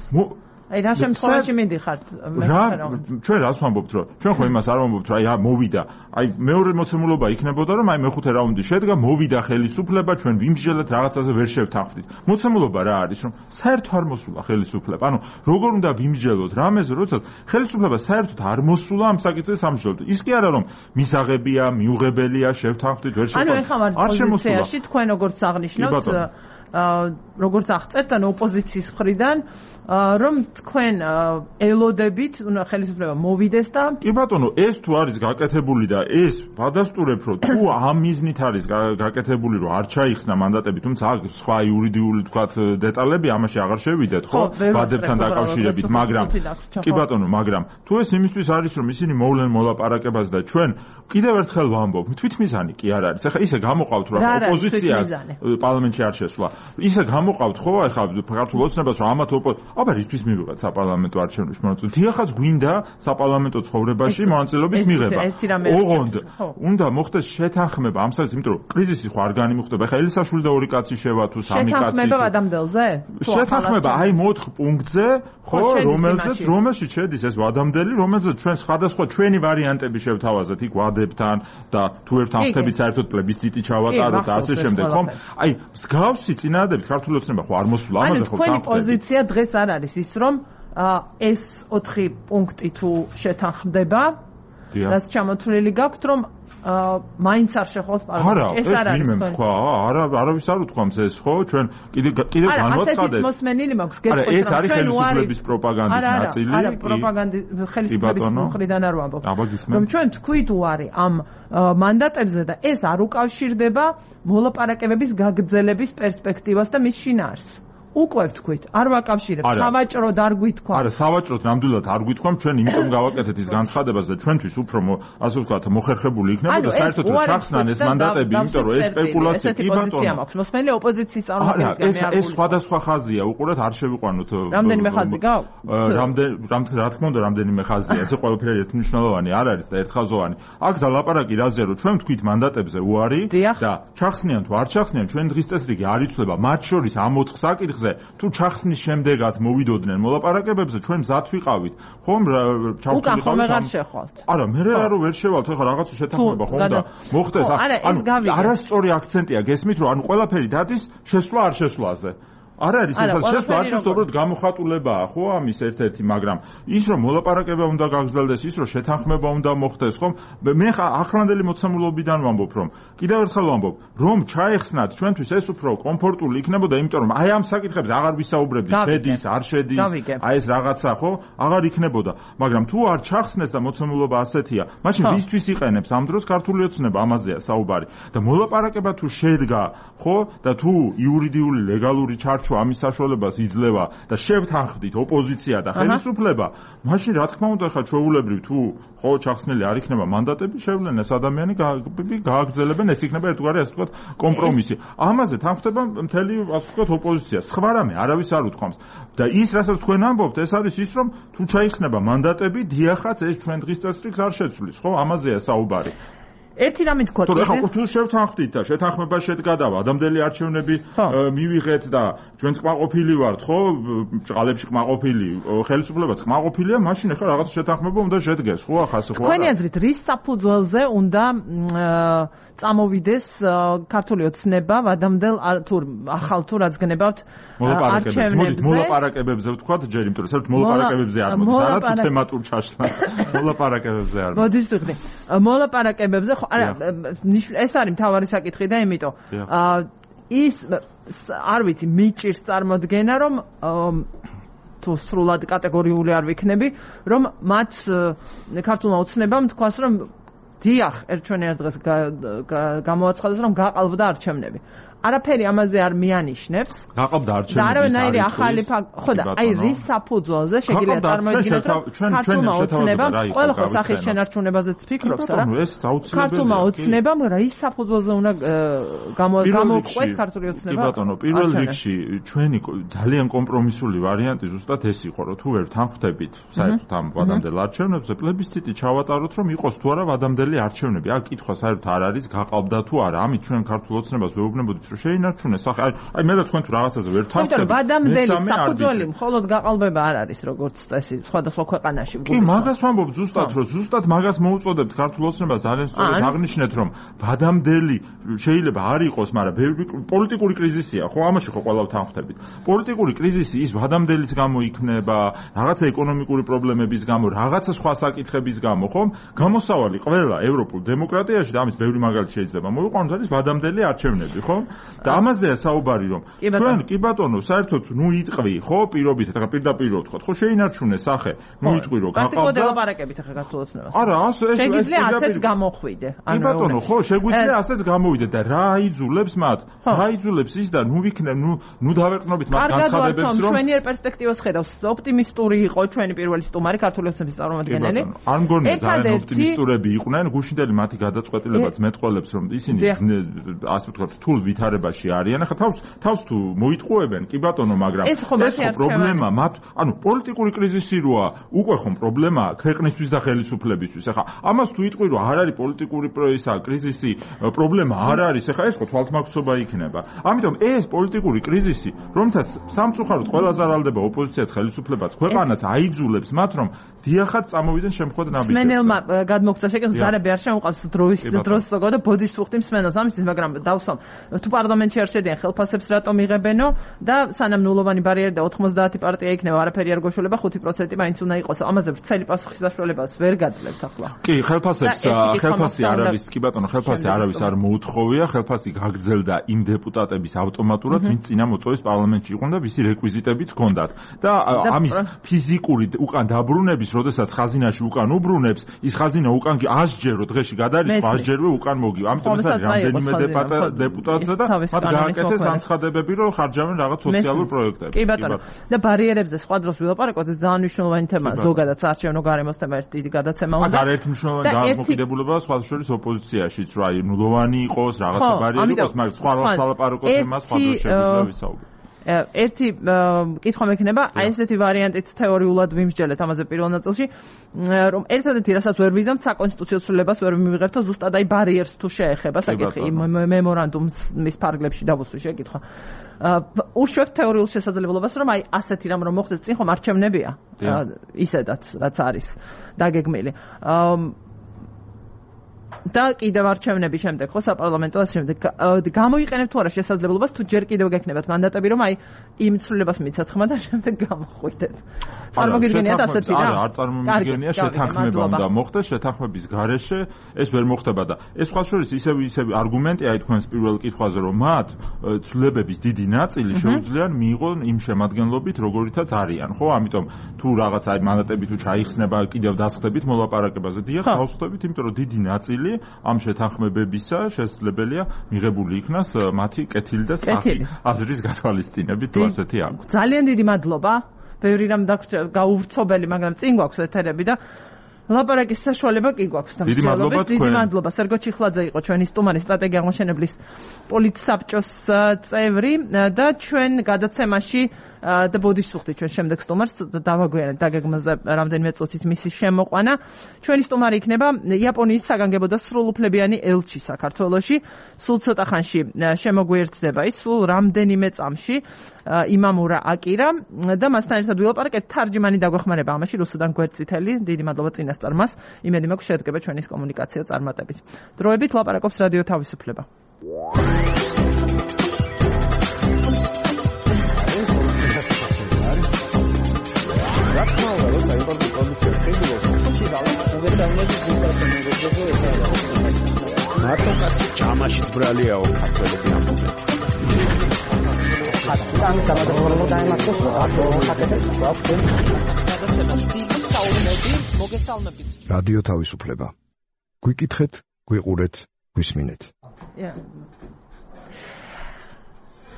აი რა შემთხვევაში მიდიხართ მეხუთე რაუნდში? ჩვენ რას ვამბობთ, რომ ჩვენ ხო იმას არ ვამბობთ, რომ აი მოვიდა. აი მეორე მოცემულობა იქნებოდა, რომ აი მეხუთე რაუნდი შედგა, მოვიდა ხელისუფლება, ჩვენ ვიმსჯელეთ, რაღაცაზე ვერ შევთანხმდით. მოცემულობა რა არის, რომ საერთოდ არ მოსულა ხელისუფლება. ანუ როგორ უნდა ვიმსჯელოთ რამეზე, როდესაც ხელისუფლება საერთოდ არ მოსულა ამ საკითხზე სამსჯელოდ. ის კი არა, რომ მისაღებია, მიუღებელია, შევთანხმდით, ვერ შევთანხმდით. ანუ ეხლა ვართ პოზიციაში, თქვენ როგორც აღნიშნოთ, როგორც აღწერთ ან ოპოზიციის მხრიდან, რომ თქვენ ელოდებით, უნდა ხელისუფლება მოვიდეს და კი ბატონო, ეს თუ არის გაკეთებული და ეს ვადასტურებ, რომ თუ ამ მიზნით არის გაკეთებული, რომ არ ჩაიხსნა მანდატები, თუმცა აქ სხვა იურიდიული თქვათ დეტალები ამაში აღარ შევიდეთ, ხო? ვადებთან დაკავშირებით, მაგრამ კი ბატონო, მაგრამ თუ ეს იმისთვის არის, რომ ისინი მოვლენ მოლაპარაკებას და ჩვენ კიდევ ერთხელ ვამბობ, თვითმიზანი კი არ არის. ახლა ისე გამოყავთ, რომ ოპოზიცია პარლამენტში არ შესვლა. ისე გამოყავთ ხო, ახლა ქართულ ოცნებას, რომ ამათ აბა რისთვის მივიღეთ საპარლამენტო არჩევნებში მონაწილეობა? დიახაც გვინდა საპარლამენტო ცხოვრებაში მონაწილეობის მიღება. ოღონდ უნდა მოხდეს შეთანხმება ამ საკითხზე, იმიტომ რომ კრიზისი ხო არ განიმუხტება. ახლა ელისაშვილი და ორი კაცი შევა თუ სამი კაცი. შეთანხმება ვადამდელზე? შეთანხმება აი მოთხ პუნქტზე, ხო, რომელზეც რომელშიც შედის ეს ვადამდელი, რომელზეც ჩვენ სხვადასხვა ჩვენი ვარიანტები შევთავაზეთ იქ ვადებთან და თუ ერთანხმებით საერთოდ პლებისციტი ჩავატაროთ და ასე შემდეგ, ხო? აი მსგავსი წინადადებით ქართული ოცნება ხო არ მოსულა ამაზე ხო თქვენი პოზიცია დღეს არ არის ის რომ ეს ოთხი პუნქტი თუ შეთანხმდება რაც ჩამოთვლილი გაქვთ რომ მაინც არ შეხვალთ პარლამენტში ეს არ არის თქვა არა არავის არ უთქვამს ეს ხო ჩვენ კიდე კიდე განვაცხადეთ არა მოსმენილი მაქვს გეტყვით რომ ეს არის ხელისუფლების პროპაგანდის ნაწილი არა პროპაგანდის ხელისუფლების მხრიდან არ ვამბობ რომ ჩვენ თქვით უარი ამ მანდატებზე და ეს არ უკავშირდება მოლაპარაკებების გაგრძელების პერსპექტივას და მის შინაარსს უკვე ვთქვით, არ ვაკავშირებ, სავაჭროდ არ გვითქვა. არა, სავაჭროდ ნამდვილად არ გვითქვამ, ჩვენ იმიტომ გავაკეთეთ ის განცხადებას და ჩვენთვის უფრო ასე ვთქვათ, მოხერხებული იქნება და საერთოდ ჩახსნან ეს მანდატები, იმიტომ რომ ეს სპეკულაცია კი ბატონო. მოსმენელი ოპოზიციის წარმომადგენლები არის. ეს ეს სხვადასხვა ხაზია, უყურეთ, არ შევიყვანოთ. რამდენიმე ხაზი გაქვს? რამდენ რა თქმა უნდა, რამდენიმე ხაზია. ესე ყველაფერი ერთმნიშვნელოვანი არ არის და ერთხაზოვანი. აქ დალაპარაკი რაზეა, რომ ჩვენ ვთქვით მანდატებზე უარი და ჩახსნიან თუ არ ჩახსნიან, ჩვენ დღის წესრიგი არ იცვლება, მათ შორის ამ ოთხ საკითხზე თუ ჩახსნის შემდეგაც მოვიდოდნენ მოლაპარაკებებზე ჩვენ მზად ვიყავით ხომ ჩავთვლილი ხომ აღარ შეხვალთ არა მე რა ვერ შევალთ ახლა რაღაცა შეთანხმება ხომ და მოხდეს არასწორი აქცენტია გესმით რომ ანუ ყველაფერი დადის შესვლა არ შესვლაზე არ არის ეს შესვლა არ შესვლა უბრალოდ გამოხატულებაა ხო ამის ერთ-ერთი მაგრამ ის რომ მოლაპარაკება უნდა გაგრძელდეს ის რომ შეთანხმება უნდა მოხდეს ხომ მე ახლანდელი მოცემულობიდან ვამბობ რომ კიდევ ერთხელ ვამბობ რომ ჩაეხსნათ ჩვენთვის ეს უფრო კომფორტული იქნებოდა იმიტომ რომ აი ამ საკითხებზე აღარ ვისაუბრებდით შედის არ შედის აი ეს რაღაცა ხო აღარ იქნებოდა მაგრამ თუ არ ჩახსნეს და მოცემულობა ასეთია მაშინ ვისთვის იყენებს ამ დროს ქართული ოცნება ამაზეა საუბარი და მოლაპარაკება თუ შედგა ხო და თუ იურიდიული ლეგალური ჩარჩო ამის საშუალებას იძლევა და შევთანხმდით ოპოზიცია და ხელისუფლება, მაშინ რა თქმა უნდა ხა ჩვეულებრივ თუ ხო ჩახსნილი არ იქნება მანდატები, შევლენ ეს ადამიანი გააგრძელებენ, ეს იქნება ერთგვარი ასე ვთქვათ კომპრომისი. ამაზე თანხმდება მთელი ასე ვთქვათ ოპოზიცია. სხვა რამე არავის არ უთქვამს. და ის რასაც თქვენ ამბობთ, ეს არის ის რომ თუ ჩაიხსნება მანდატები, დიახაც ეს ჩვენ დღის წესრიგს არ შეცვლის, ხო? ამაზეა საუბარი. ერთი რამე თქვა თუ ახლა თუ შევთანხმდით და შეთანხმება შედგა და ადამიანები არჩევნები მივიღეთ და ჩვენც კმაყოფილი ვართ ხო ჭყალებში კმაყოფილი ხელისუფლებაც კმაყოფილია მაშინ ახლა რაღაც შეთანხმება უნდა შედგეს ხო ახლა ხო თქვენი აზრით რის საფუძველზე უნდა წამოვიდეს ქართული ოცნება ვადამდელ თუ ახალ თუ რაც გნებავთ არჩევნებზე მოლაპარაკებებზე ვთქვათ ჯერ იმიტომ რომ საერთოდ მოლაპარაკებებზე არ მოდის არა თუ თემატურ ჩაშლა მოლაპარაკებებზე არ მოდის ვიხდი მოლაპარაკებებზე არა ეს არის მთავარი საკითხი და იმიტომ ის არ ვიცი მიჭირს წარმოდგენა რომ თუ სრულად კატეგორიული არ ვიქნები რომ მათ ქართულმა ოცნებამ თქვას რომ დიახ ერთვენერად დღეს გამოაცხადეს რომ გაყალბდა არჩევნები არაფერი ამაზე არ მიანიშნებს. გაყავდა არჩევნები. და არავინაირი ახალი ხო და აი რის საფუძველზე შეგიძლია წარმოიდგინოთ რომ ქართულმა ოცნებამ ყველა ხო სახის შენარჩუნებაზეც ფიქრობს რა. ქართულმა ოცნებამ რის საფუძველზე უნდა გამოუყვეთ ქართული ოცნება. კი ბატონო, პირველ რიგში ჩვენი ძალიან კომპრომისული ვარიანტი ზუსტად ეს იყო, რომ თუ ვერ თანხმდებით საერთოდ ამ ვადამდელ არჩევნებზე, პლებისციტი ჩავატაროთ, რომ იყოს თუ არა ვადამდელი არჩევნები. აქ კითხვა საერთოდ არ არის, გაყავდა თუ არა. ამით ჩვენ ქართულ ოცნებას ვეუბნებოდით, რომ შეინარჩუნეს. აი, აი მე რა თქვენ თუ რაღაცაზე ვერ თანხმდებით. ვადამდელი საფუძველი მხოლოდ გაყალბება არ არის, როგორც წესი, სხვადასხვა ქვეყანაში. კი, მაგას ვამბობ ზუსტად, რომ ზუსტად მაგას მოუწოდებთ ქართულ ოცნებას, ძალიან სწორად აღნიშნეთ, რომ ვადამდელი შეიძლება არ იყოს, მაგრამ ბევრი პოლიტიკური კრიზისია, ხო, ამაში ხო ყველა თანხმდებით. პოლიტიკური კრიზისი ის ვადამდელის გამო იქნება, რაღაცა ეკონომიკური პრობლემების გამო, რაღაცა სხვა საკითხების გამო, ხო? გამოსავალი ყველა ევროპულ დემოკრატიაში და ამის ბევრი მაგალითი შეიძლება მოვიყვანოთ, არის ვადამდელი არჩევნები, ხო? და ამაზეა საუბარი, რომ ჩვენ კი ბატონო, საერთოდ ნუ იტყვი, ხო, პირობით, ახლა პირდაპირ ვთქვა, ხო, შეინარჩუნე სახე, ნუ იტყვი, რომ გაყავდა. პრაქტიკულად ელაპარაკებით ახლა ქართულ ოცნებას. არა, ასე ეს შეგვიძლია ასეც გამოხვიდე. კი ბატონო, ხო, შეგვიძლია ასეც გამოვიდე და რა აიძულებს მათ? რა აიძულებს ის და ნუ ვიქნებ, ნუ ნუ დავეყნობით მათ განცხადებებს, რომ ჩვენი პერსპექტივას ხედავს, ოპტიმისტური იყო ჩვენი პირველი სტუმარი ქართული ოცნების წარმომადგენელი. არ მგონია ძალიან ოპტიმისტურები იყვნენ, გუშინდელი მათი გადაწყვეტილებაც მეტყოლებს, რომ ისინი ასე ვთქვათ, რთულ ვითარებაში არიან. ახლა თავს თავს თუ მოიტყუებენ, კი ბატონო, მაგრამ ეს ხო პრობლემა მათ, ანუ პოლიტიკური კრიზისი როა, უკვე ხომ პრობლემაა ქვეყნისთვის და ხელისუფლებისთვის. ახლა ამას თუ იტყვი, რომ არ არის პოლიტიკური ისა კრიზისი, პრობლემა არ არის, ახლა ეს ხო თვალთმაგცობა იქნება. ამიტომ ეს პოლიტიკური კრიზისი, რომთაც სამწუხაროდ ყველა ზარალდება ოპოზიციაც, ხელისუფლებაც, ქვეყანაც აიძულებს მათ, რომ დიახაც წამოვიდნენ შემთხვევით ნაბიჯებს. მსმენელმა გადმოგწა შეკითხვა, ზარები არ შემოყავს დროის დროს ზოგადად და ბოდიშ ვუხდი მსმენელს ამისთვის, მაგრამ დავსვამ თუ პარლამენტში არ შედიან ხელფასებს რატომ იღებენო და სანამ ნულოვანი ბარიერი და ოთხმოცდაათი პარტია იქნება, არაფერი არ გოშოლება, ხუთი პროცენტი მაინც უნდა იყოს. ამაზე ვრცელი პასუხის საშუალებას ვერ გაძლევთ ახლა. კი, ხელფასებს ხელფასი არავის, კი ბატონო, ხელფასი არავის არ მოუთხოვია, ხელფასი გაგრძელდა იმ დეპუტატების ავტომატურად, ვინც წინა მოწვევის პარლამენტში იყვნენ და ვისი რეკვიზიტებიც ჰქონდათ. და ამის ფიზიკური უკან დაბრუნების, როდესაც ხაზინაში უკან უბრუნებს, ის ხაზინა უკან ასჯერო დღეში გადაარიცხვა, ასჯერვე უკან მოგივა. ამიტომ ეს არის რამდენიმე დეპუტატზე და მათ გააკეთეს ანცხადებები, რომ ხარჯავენ რაღაც სოციალურ პროექტებს. კი ბატონო. და ბარიერებზე სხვა დროს ვილაპარაკოთ, ეს ძალიან მნიშვნელოვანი თემაა. ზოგადად საარჩევნო გარემოს თემა ერთი დიდი გადაცემა უნდა. აგარ ერთ მნიშვნელოვანი დამოკიდებულება სხვა შორის ოპოზიციაშიც, რა ნულოვანი იყოს, რაღაცა ბარიერი იყოს, მაგრამ სხვა სალაპარაკო თემა სხვა დროს შეგვიძლია ვისაუბროთ. ერთი კითხვა მექნება, აი ესეთი ვარიანტიც თეორიულად ვიმსჯელეთ ამაზე პირველ ნაწილში, რომ ერთადერთი რასაც ვერ ვიზამთ, საკონსტიტუციო ცვლილებას ვერ მივიღებთ, ზუსტად აი ბარიერს თუ შეეხება საკითხი მემორანდუმის ფარგლებში დავუსვი შეკითხვა. ურჩევთ თეორიულ შესაძლებლობას, რომ აი ასეთი რამ რომ მოხდეს, წინ ხომ არჩევნებია, ისედაც რაც არის დაგეგმილი. და კიდევ არჩევნების შემდეგ ხო საპარლამენტო შემდეგ გამოიყენებთ თუ არა შესაძლებლობას თუ ჯერ კიდევ გექნებათ მანდატები რომ აი იმ ცვლილებას მიცათ ხმა და შემდეგ გამოხვიდეთ. წარმოგიდგენიათ ასეთი რა? არა, არ წარმომიდგენია, შეთანხმება უნდა მოხდეს, შეთანხმების გარეშე ეს ვერ მოხდება და ეს სხვა შორის ისევ ისევ არგუმენტია აი თქვენს პირველ კითხვაზე რომ მათ ცვლილებების დიდი ნაწილი შეუძლიათ მიიღონ იმ შემადგენლობით როგორითაც არიან, ხო? ამიტომ თუ რაღაც აი მანდატები თუ ჩაიხსნება კიდევ დასხდებით მოლაპარაკებაზე, დიახ, დავხდებით, იმიტომ რომ დიდი ნაწილი ამ შეთანხმებებისა შესაძლებელია მიღებული იქნას მათი კეთილი და სწრაფი აზრის გათვალისწინებით თუ ასეთი აქვს. ძალიან დიდი მადლობა. ბევრი რამ გაუვრცობელი, მაგრამ წინ გვაქვს ეთერები და ლაპარაკის საშუალება კი გვაქვს და დიდი მადლობა თქვენ. დიდი მადლობა. სერგო ჩიხლაძე იყო ჩვენი სტუმარი, სტრატეგია აღმოჩენებლის პოლიტსაბჭოს წევრი და ჩვენ გადაცემაში და ბოდიშ ვუხდი ჩვენ შემდეგ სტუმარს დავაგვიანებთ დაგეგმაზე რამდენიმე წუთით მისი შემოყვანა. ჩვენი სტუმარი იქნება იაპონიის საგანგებო და სრულუფლებიანი ელჩი საქართველოში. სულ ცოტა ხანში შემოგვიერთდება ის, სულ რამდენიმე წამში იმამურა აკირა და მასთან ერთად ვილაპარაკეთ თარჯიმანი დაგვეხმარება ამაში რუსუდან გვერდწითელი. დიდი მადლობა წინასწარმას. იმედი მაქვს შედგება ჩვენის კომუნიკაცია წარმატებით. დროებით ლაპარაკობს რადიო თავისუფლება. რა თქმა უნდა, როცა იმპორტი პროდუქცია შეგვიძლია, თუმცა უღერდაუნების ინტერესები მოგვეძლო მარტო კაცი ჯამაშიც ბრალიაო ქართველები ამბობენ. ხატიდან გამოდროულობა დაიმართოს, აკო ხატებს ვაფშე. გადაცემას დიდი საუბნები მოგესალმებით. რადიო თავისუფლება. გვიკითხეთ, გვიყურეთ, გვისმინეთ.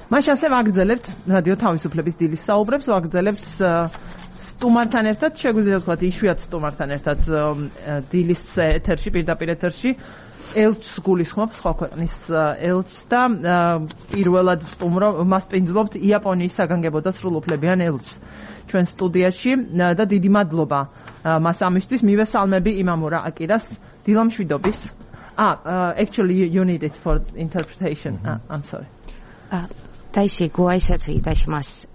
მაშ ასე ვაგრძელებთ რადიო თავისუფლების დილის საუბრებს, ვაგრძელებთ სტუმართან ერთად, შეგვიძლია ვთქვათ, იშვიათ სტუმართან ერთად დილის ეთერში, პირდაპირ ეთერში ელჩს გულისხმობ, სხვა ქვეყნის ელჩს და პირველად სტუმრო მას პინძლობთ იაპონიის საგანგებო და სრულუფლებიან ელჩს ჩვენ სტუდიაში და დიდი მადლობა მას ამისთვის. მივესალმები იმამურა აკირას, დილამშვიდობის. Ah, uh, actually you, you need it for interpretation. Mm-hmm. uh, I'm sorry. Ah, 다시 고아이사츠 이타시마스.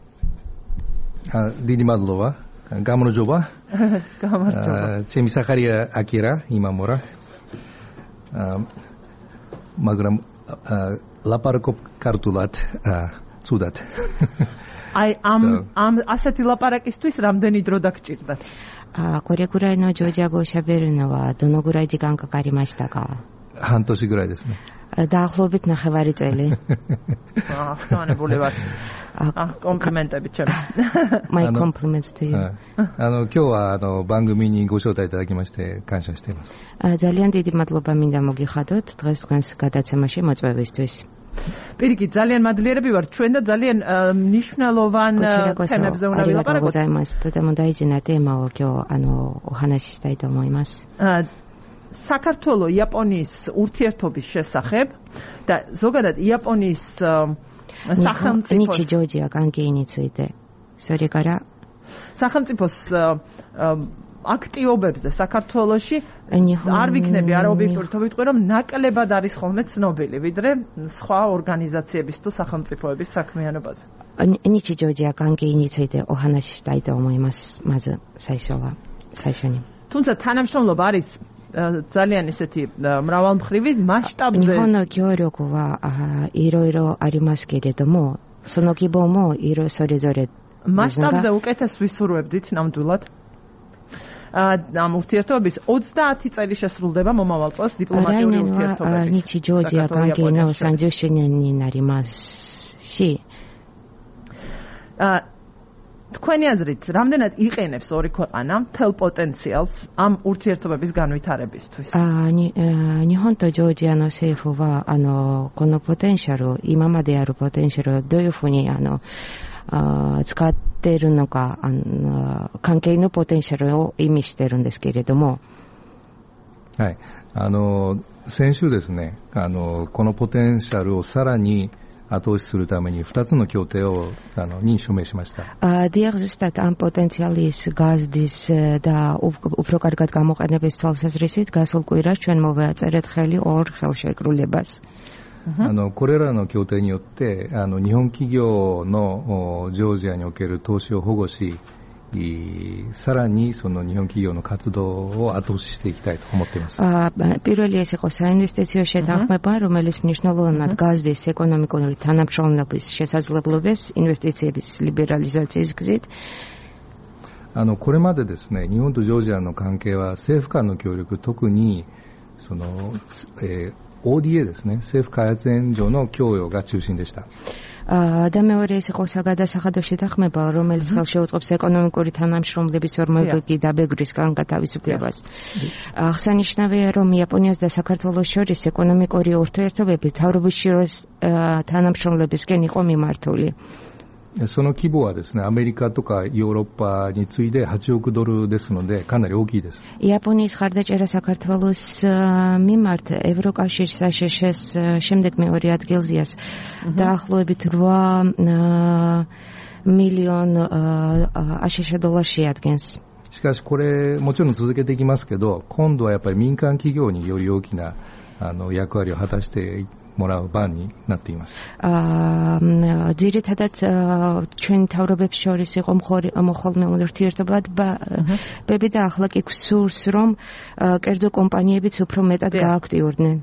아, დიდი მადლობა. გამარჯობა. გამარჯობა. ჩემი სახარია აკირა იმამურა. აა მაგრამ ლაპარაკობ ქართულად ცუდად. აი ამ ამ ასეთი ლაპარაკისთვის რამდენი დრო დაგჭირდათ? あこれくらいのジョージア語を喋るのはどのぐらい時間かかりましたか？半年ぐらいですね。დაახლოებით ნახევარი წელი. აა, ხანებული ვარ. აა, კომპლიმენტები ჩემ. My compliments to you. あの今日はあの番組にご招待いただきまして感謝しています。ძალიან დიდი მადლობა მინდა მოგიხადოთ დღეს თქვენს გადაცემაში მოწვევისთვის. პირიქით, ძალიან მადლიერები ვართ ჩვენ და ძალიან მნიშვნელოვან თემებზე უნდა ვილაპარაკოთ. とても大事なテーマを今日あのお話ししたいと思います。 საქართველოს იაპონიის ურთიერთობის შესახებ და ზოგადად იაპონიის სახელმწიფოს ნიჩი ჯორჯია კანკეიについてそれから სახელმწიფოს აქტიობებს და საქართველოში არ ვიქნები არაობიექტური თუ ვიტყვი რომ ნაკლებად არის ხოლმე ცნობილი ვიდრე სხვა ორგანიზაციების თუ სახელმწიფოების საქმიანობაზე. 日常時や関係についてお話ししたいと思います。まず最初は最初に。 თუმცა თანამშრომლობა არის ძალიან ისეთი მრავალმხრივი მასშტაბზე. 日本の協力はいろいろありますけれども、その規模もいろそれぞれ მასშტაბზე უკეთეს ვისურვებდით ნამდვილად. ამ ურთიერთობების ოცდაათი წელი შესრულდება მომავალ წელს დიპლომატიური ურთიერთობების. 日常時や関係のさんじゅっ周年になりますし。 თქვენი აზრით, რამდენად იყენებს ორი ქვეყანა მთელ პოტენციალს ამ ურთიერთობების განვითარებისთვის? 日本とジョージアの政府はあのこのポテンシャル、今まであるポテンシャルをどういうふうにあの使っているのか、あの関係のポテンシャルを意味しているんですけれども。はい、あの先週ですね、あのこのポテンシャルをさらに後押しするためにふたつの協定をあのに署名しました。დიახ, ზუსტად ამ პოტენციალის გაზდის და უფრო კარგად გამოყენების თვალსაზრისით გასულ კვირას ჩვენ მოვაწერეთ ხელი ორ ხელშეკრულებას. あのこれらの協定によってあの日本企業のジョージアにおける投資を保護し、さらにその日本企業の活動を後押ししていきたいと思っています。 პირველი ეს იყო საინვესტიციო შეთანხმება, რომელიც მნიშვნელოვნად გაზდის ეკონომიკური თანამშრომლობის შესაძლებლობებს ინვესტიციებისリベラリザーgzit。 あのこれまでですね、日本とジョージアの関係は政府間の協力、特にその、えー、オーディエー ですね、政府開発援助の供与が中心でした。 და მეორე ეს იყო საგადასახადო შეთანხმება, რომელიც ხელშეუწყობს ეკონომიკური თანამშრომლობის ორმოებითი დაბეგვრის განთავისუფლებას. აღსანიშნავია, რომ იაპონიას და საქართველოს შორის ეკონომიკური ურთიერთობები მთავრობისშორის თანამშრომლებისკენ იყო მიმართული. その規模はですね、アメリカとかヨーロッパに次いではちおくドルですので、かなり大きいです。 იაპონიის ხარდაჭერა საქართველოს მიმართ ევროკავშირის აშშ-ს შემდეგ მეორე ადგილზეა. დაახლოებით რვა მილიონ აშშ დოლარს შეადგენს. しかしこれもちろん続けていきますけど、今度はやっぱり民間企業により大きなあの役割を果たしてもらう番になっています。 ძირითადად ჩვენ თავრობებს შორის იყო მოხოლმე ურთიერთობები და ახლა კი გსურს რომ კერძო კომპანიებიც უფრო მეტად გააქტიურდნენ.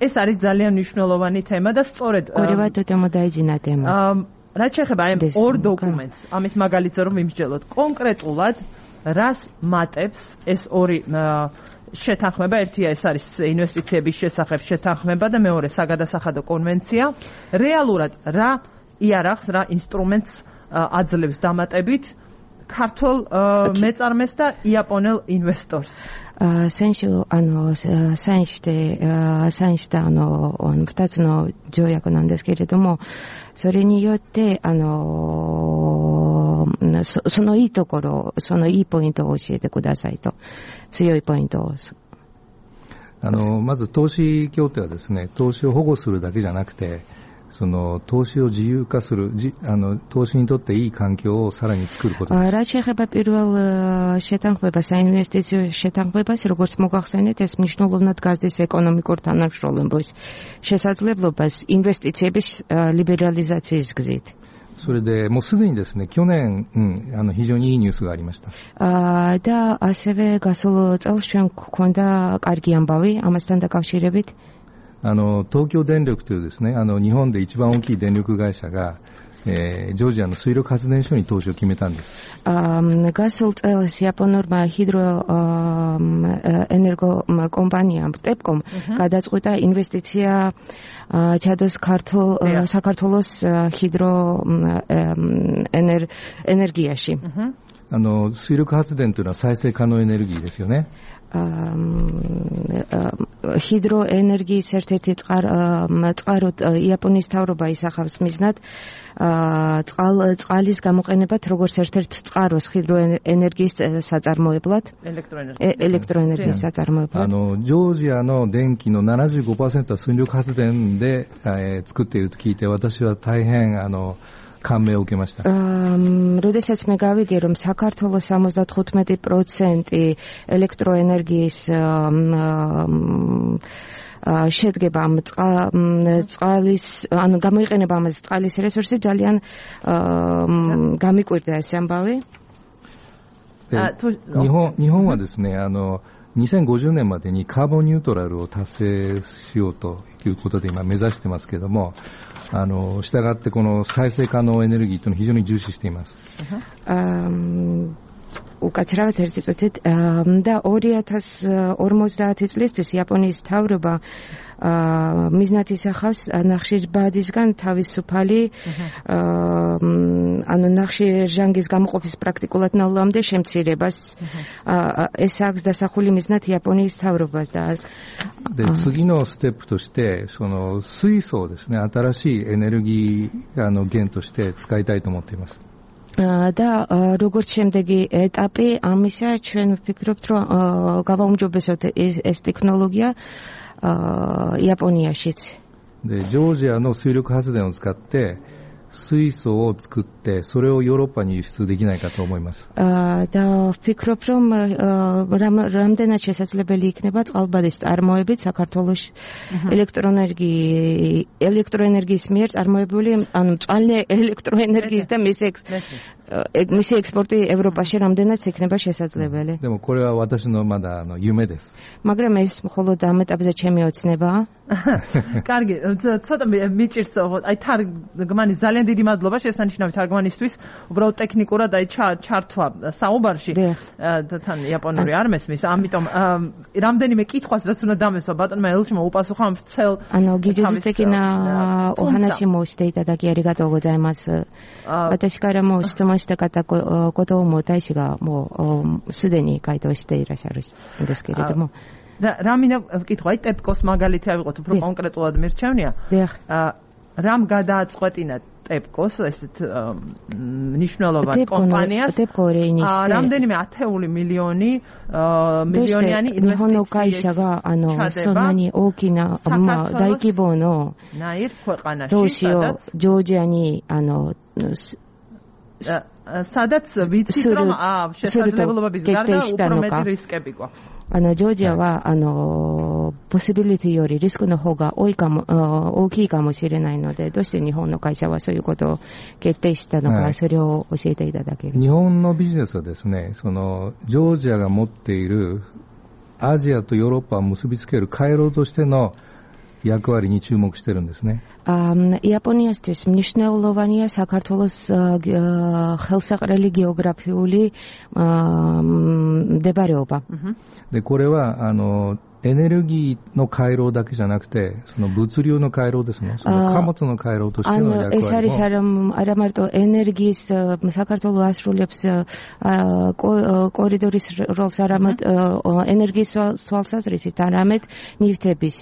ეს არის ძალიან მნიშვნელოვანი თემა და სწორედ გორევა თემა დაიძინა თემა. რაც შეეხება ამ ორ დოკუმენტს, ამის მაგალითზე რომ ვიმსჯელოთ კონკრეტულად რას მატებს ეს ორი შეთანხმება, ერთია ეს არის ინვესტიციების შესახებ შეთანხმება და მეორე საგადასახადო კონვენცია. რეალურად რა იარაღს, რა ინსტრუმენტს აძლევს დამატებით ქართულ მეწარმეს და იაპონელ ინვესტორს? 選手あのサインしてサインしたあの二つの条約なんですけれども、それによってあの そ, そのいいところ、そのいいポイントを教えてくださいと、強いポイントを。あのまず投資協定はですね、投資を保護するだけじゃなくて、その投資を自由化する、あの投資にとっていい環境をさらに作ることです。რაც შეეხება პირველ შეთანხმებას, საინვესტიციო შეთანხმებას, როგორც მოგახსენეთ, ეს მნიშვნელოვნად გაზრდის ეკონომიკურ თანამშრომლობის შესაძლებლობას ინვესტიციების ლიბერალიზაციის გზით. それでもうすでにですね、去年、うん、あの非常にいいニュースがありました。あだ、ასევე გასულ წელს ჩვენ გვქონდა კარგი ამბავი ამასთან დაკავშირებით. あの東京電力というですね、あの日本で一番大きい電力会社が、えー、ジョージアの水力発電所に投資を決めたんです。あ、გასულ წელს იაპონურმა ჰიდრო ენერგო კომპანიამ ტეპკომ გადაწყვიტა ინვესტიცია ჩადოს ქართულ საქართველოს ჰიდრო ენერგიაში. あの水力発電というのは再生可能エネルギーですよね。 ჰიდროენერგიის ერთ-ერთი წყაროდ იაპონიის მთავრობა ისახავს მიზნად წყლის გამოყენებად როგორც ერთ-ერთ წყაროს ჰიდროენერგიის საწარმოებლად, ელექტროენერგიის საწარმოებლად. あのジョージアの電気の ななじゅうごパーセント は水力発電で、えー、作っていると聞いて、私は大変あの感銘を受けました。როდესაც მე გავიგე, რომ საქართველოს სამოცდათხუთმეტი პროცენტი ელექტროენერგიის შედგება ამ წყლის, ანუ გამოიყენება ამაზე წყლის რესურსი, ძალიან გამიკვირდა ეს ამბავი. 日本日本はですね、あのにせんごじゅうねんまでにカーボンニュートラルを達成しようということで今目指してますけれども、あの従ってこの再生可能エネルギーというのを非常に重視しています。უკაცრავად ერთი წუთით და ორი ათას ორმოცდაათი წლისთვის იაპონიის მთავრობა მიზნად ისახავს ნახშირბადისგან თავისუფალი ანუ ნახშირჟანგის გამოყოფის პრაქტიკულად ნულამდე შემცირებას. ეს აქვს დასახული მიზნად იაპონიის მთავრობას და で次のステップとしてその水素をですね、新しいエネルギーあの源として使いたいと思っています。 და როგორც შემდეგი ეტაპი ამისა, ჩვენ ვფიქრობთ, რომ გავაუმჯობესოთ ეს ტექნოლოგია იაპონიაშიც. でジョージアの水力発電を使って水素を作ってそれをヨーロッパに輸出できないかと思います。 და ვფიქრობ, რომ რამდენად შესაძლებელი იქნება წყალბადის წარმოებით საქართველოს ელექტროენერგიის ელექტროენერგიის მიერ წარმოებული, ანუ მწვანე ელექტროენერგიის და მისი მისი ექსპორტი ევროპაში რამდენად იქნება შესაძლებელი. でもこれは私のまだあの夢です。 მაგრამ ეს მხოლოდ ამ ეტაპზე ჩემი ოცნებაა. კარგი, ცოტა მიჭირს, აი თარგმანი ძალიან დიდი მადლობა შესანიშნავი თარგმანისთვის. უბრალოდ ტექნიკურად აი ჩართვა საუბარში თან იაპონური არ მესმის, ამიტომ რამდენიმე კითხვას რაც უნდა დამესვა ბატონმა ელჩმა უპასუხა მთელ. あの技術的なお話もしていただきありがとうございます。私からも質問した方ことも大使がもうすでに回答していらっしゃるんですけれども。 და რა მინდა ვკითხო, აი ტეპკოს მაგალითი ავიღოთ, უფრო კონკრეტულად მირჩევნია. რამ გადააწყვეტინა ტეპკოს ესეთ მნიშვნელოვან კომპანიას რამდენიმე ათეული მილიონი მილიონიანი ინვესტიცია ანუ სონანი ოკინა დაიკიბონო ნაირ ქვეყანაში სადაც ჯორჯიანი ანუ სადაც ვიცით რომ შესაძლებლობების გარდა უფრო მეტი რისკები გვაქვს. あのジョージアはあのポシビリティよりリスクの方が多いかも大きいかもしれないので、どうして日本の会社はそういうことを決定したのか、それを教えていただける。日本のビジネスはですね、そのジョージアが持っているアジアとヨーロッパを結びつける回廊としての役割に注目しているんですね。იაპონიასთვის მნიშვნელოვანია საქართველოს ხელსაყრელი გეოგრაფიული მდებარეობა. でこれはあのエネルギーの回廊だけじゃなくて、その物流の回廊ですね。その貨物の回廊としての役割も。ეს არის არა მარტო ენერგიის საქართველოს ასრულებს კორიდორის როლს, არამედ ენერგიის თვალსაზრისით, არამედ ნივთების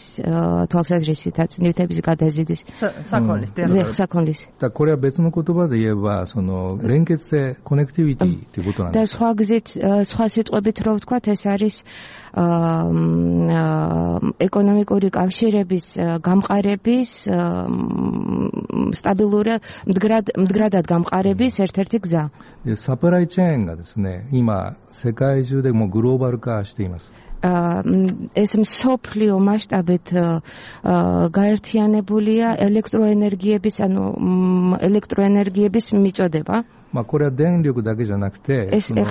თვალსაზრისითაც, ნივთების გადაზიდვის საქონლის, საქონლის. და これは別の言葉で言えば、その連結性、コネクティビティということなんです。და სხვა გზით, სხვა სიტყვებით რო ვთქვათ, ეს არის ეკონომიკური კავშირების გამყარების სტაბილური მდგრად მდგრადად გამყარების ერთ-ერთი გზა. でサプライチェーンがですね、今世界中でもグローバル化しています。ეს მსოფლიო მასშტაბით გაერთიანებულია ელექტროენერგიების, ანუ ელექტროენერგიების მიწოდება. まあこれは電力だけじゃなくて、その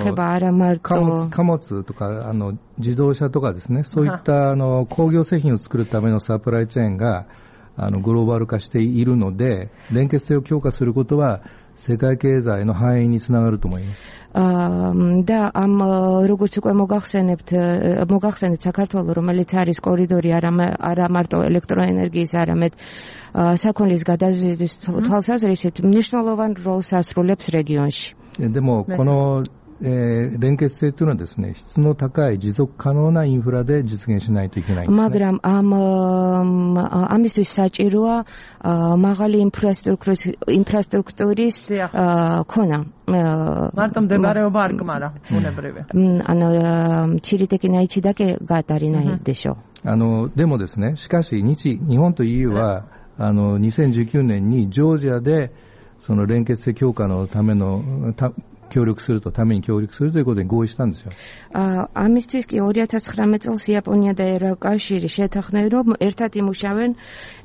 貨物、貨物とかあの自動車とかですね、そういったあの工業製品を作るためのサプライチェーンがあのグローバル化しているので、連結性を強化することは世界経済の繁栄につながると思います。და ამ როგორც უკვე მოგახსენებთ, მოგახსენეთ საქართველოს, რომელიც არის კორიდორი არა მარტო ელექტროენერგიის, არამედ საქონლის გადაზიდვის თვალსაზრისით მნიშვნელოვან როლს ასრულებს რეგიონში. でもこの連結性というのはですね、質の高い持続可能なインフラで実現しないといけないんですね。მაგრამ ამ ამისთვის საჭიროა მაღალი ინფრასტრუქტურის ინფრასტრუქტურის ქონა. მარტო მდებარეობა არ გმარა, უნებრივი. ანუ ჩირიტეკინაიჩი და კი გატარინაი დეშო. あのでもですね、しかし日日本と イーユー はあのにせんじゅうきゅうねんにジョージアでその連結性強化のための協力するとために協力するということに合意したんですよ。ამისთვის კი ორი ათას ცხრამეტ წელს იაპონია და ევროკავშირი შეთანხმდნენ, რომ ერთად იმუშავენ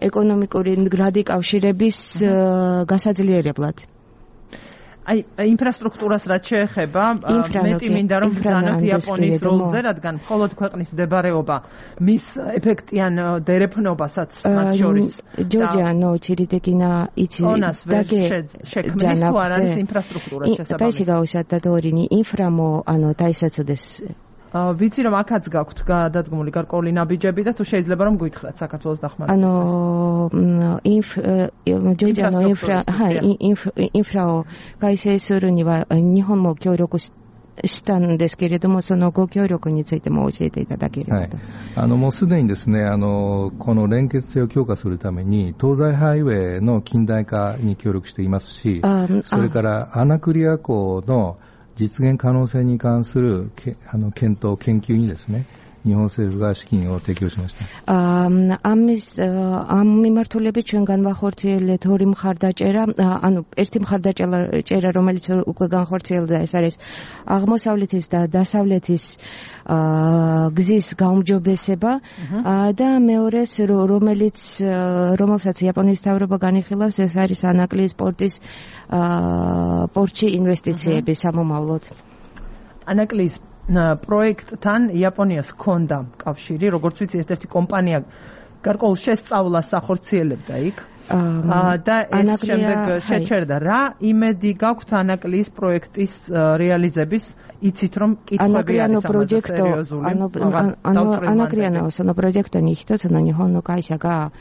ეკონომიკური მდგრადი კავშირების გასაძლიერებლად. აი ინფრასტრუქტურას რაც შეეხება, მეტი მინდა რომ ვთანოთ იაპონიის როლზე, რადგან მხოლოდ ქვეყნის მდებარეობა მის ეფექტიან დერეფნობასაც მათ შორის ჯორჯია ნო ჩირიტეკინა იცი დაგე შექმნის თუ არ არის ინფრასტრუქტურას შესაბამისი. პეში გაუსადა დორინი ინფრამო ანუ დაისაცოდეს. ვიცი რომ აქაც გაქვთ გადადგმული გარკვეული ნაბიჯები და თუ შეიძლება რომ გვითხრათ საქართველოს დახმარებას. ანუ ინფ ჯორჯია ნო ინფრა ინფრაო გაისესურუნივა ნიჰონ мо協力したんですけれども、そのご協力についても教えていただければと。あのもうすでにですね、あのこの連結性を強化するために東西ハイウェイの近代化に協力していますし、それからアナクリア港の実現可能性に関するあの検討研究にですね、日本政府が資金を提供しました。ამის ამ მიმართულებით ჩვენ განვახორციელეთ ორი მხარდაჭერა, ანუ ერთი მხარდაჭერა, რომელიც უკვე განხორციელდა, ეს არის აღმოსავლეთის და დასავლეთის გზის გაუმჯობესება და მეორე, რომელიც რომელსაც იაპონიის მთავრობა განიხილავს, ეს არის ანაკლიის პორტის პორტში ინვესტიციები სამომავლოდ. ანაკლიის პროექტთან იაპონიას ჰქონდა კავშირი, როგორც ვიცი, ერთ-ერთი კომპანია გარკვეულ შესწავლას ახორციელებდა იქ. და ეს შემდეგ შეჩერდა. რა იმედი გაქვთ ანაკლიის პროექტის რეალიზების, იცით რომ კითხვები არის ამაზე სერიოზული. ანაკრიანო sono progetto nihito sono nihon会社が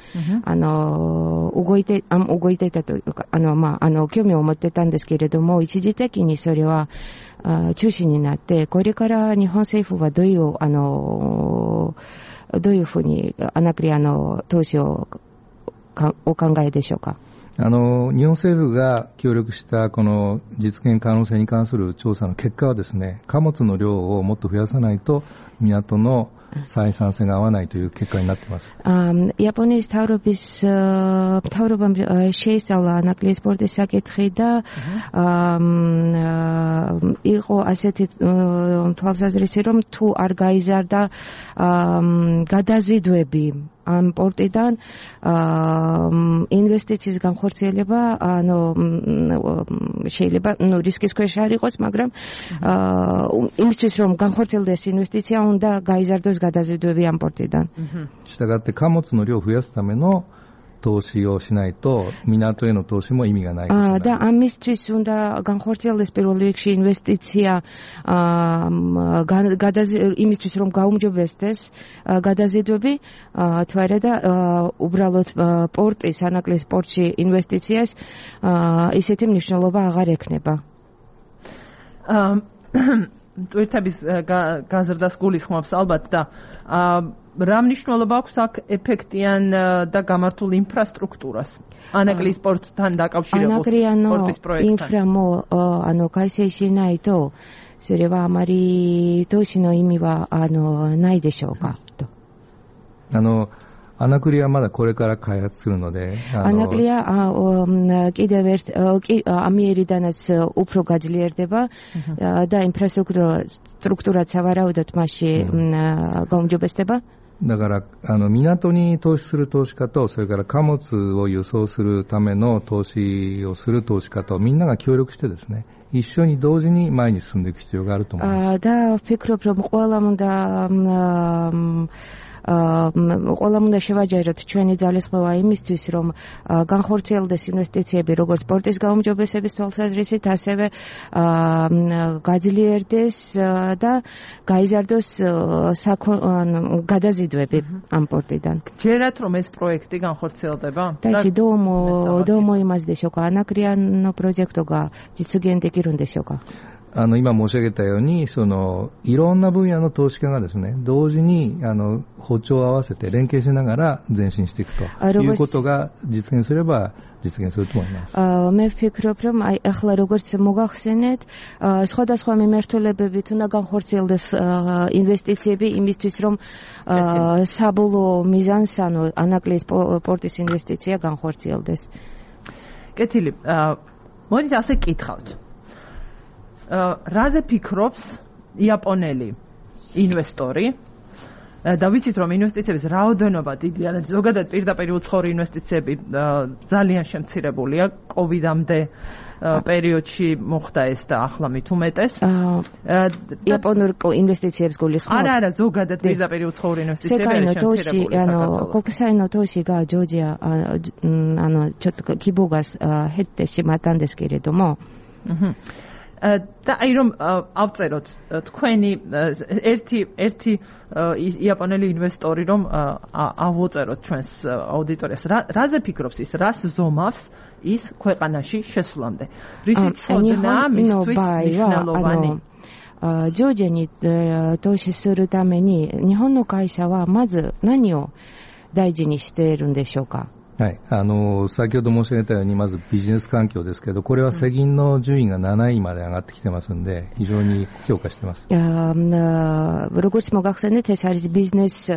あの動いて動いていたとあのまああの興味を持ってたんですけれども、一時的にそれは中止になって、これから日本政府はどういうあのどういうふうにアナクリアの投資をお考えでしょうか。あの日本政府が協力したこの実現可能性に関する調査の結果はですね、貨物の量をもっと増やさないと港の採算性が合わないという結果になっています。იაპონიის თავრობის თავრობამ შეისწავლა ანაკლიის პორტის საკითხი და იყო ასეთი თვალსაზრისი, რომ თუ არ გაიზარდა გადაზიდვები ამ პორტიდან ინვესტიციის განხორციელება, ანუ შეიძლება ნუ რისკის ქვეშ არ იყოს, მაგრამ იმისთვის რომ განხორციელდეს ინვესტიცია, უნდა გაიზარდოს გადაზიდვები ამ პორტიდან. したがって貨物の量を増やすための投資をしないと港への投資も意味がないことになる。და ამისთვის უნდა განხორციელდეს პირველ რიგში ინვესტიცია იმისთვის რომ გაუმჯობესდეს გადაზიდვები თუ არა და უბრალოდ პორტის ანაკლის პორტში ინვესტიციას ისეთი მნიშვნელობა აღარ ექნება. ტვირთების გაზრდას გულისხმობს ალბათ და რა მნიშვნელობა აქვს აქ ეფექტიან და გამართულ ინფრასტრუქტურას ანაკლის პორტთან დაკავშირებულ პორტის პროექტთან. ინფრამო ანუ кайсейши найто სერევა ამარი თოშინო იმივა ანუ ნაიდეშოუკა. あのアナクリはまだこれから開発するので、アナクリはკიდევ ერთ ამიერიდანაც უფრო გაძლიერდება და ინფრასტრუქტურაც სავარაუდოდ მასში გაუმჯობესდება. だからあの港に投資する投資家とそれから貨物を輸送するための投資をする投資家とみんなが協力してですね、一緒に同時に前に進んでいく必要があると思います。და ვფიქრობ რომ ყველა უნდა ყველა უნდა შევაჯეროთ ჩვენი ძალისხმევა იმისთვის, რომ განხორციელდეს ინვესტიციები როგორც პორტის გაუმჯობესების თვალსაზრისით, ასევე გაძლიერდეს და გაიზარდოს გადაზიდვები ამ პორტიდან. ჯერათ რომ ეს პროექტი განხორციელდება? და ისე დომო დომო იმას დეშოკა ანაკრიანო პროექტოგა実現できるんでしょうか。あの今申し上げたようにそのいろんな分野の投資家がですね同時にあの歩調を合わせて連携しながら前進していくということが実現すれば実現すると思います。მე ვფიქრობ რომ აი ახლა როგორც მოგახსენეთ სხვადასხვა მიმართულებებით უნდა განხორციელდეს ინვესტიციები იმისთვის რომ საბოლოო მიზანს ანუ ანაკლის პორტის ინვესტიცია განხორციელდეს. კეთილი. მოდით ასე კითხავთ. რაზე ფიქრობს იაპონელი ინვესტორი და ვიცით რომ ინვესტიციების რაოდენობა დიდია და ზოგადად პირდაპირ უცხოური ინვესტიციები ძალიან შემცირებულია კოვიდამდე პერიოდში მოხდა ეს და ახლა მით უმეტეს იაპონურ ინვესტიციებს გულისხმობ არა არა ზოგადად პირდაპირ უცხოური ინვესტიციები შემცირებულია ანუ კოკსაინო თოში გა ჯოჯია ანუ ჩოტ კიბოგას ჰეტეში მატანდეს კირედომო და აი რომ ავწეროთ თქვენი ერთი ერთი იაპონელი ინვესტორი რომ ავუწეროთ ჩვენს აუდიტორიას რაზე ფიქრობს ის რას ზომავს ის ქვეყანაში შესვლამდე რისი ცოდნა მისთვის მნიშვნელოვანი ჯოჯიに投資するために日本の会社はまず何を大事にしているんでしょうか。はい、あの先ほど申し上げたようにまずビジネス環境ですけど、これは世銀の順位がなないまで上がってきてますので非常に評価してます。როგორც მოგახსენეთ, ეს არის ბიზნეს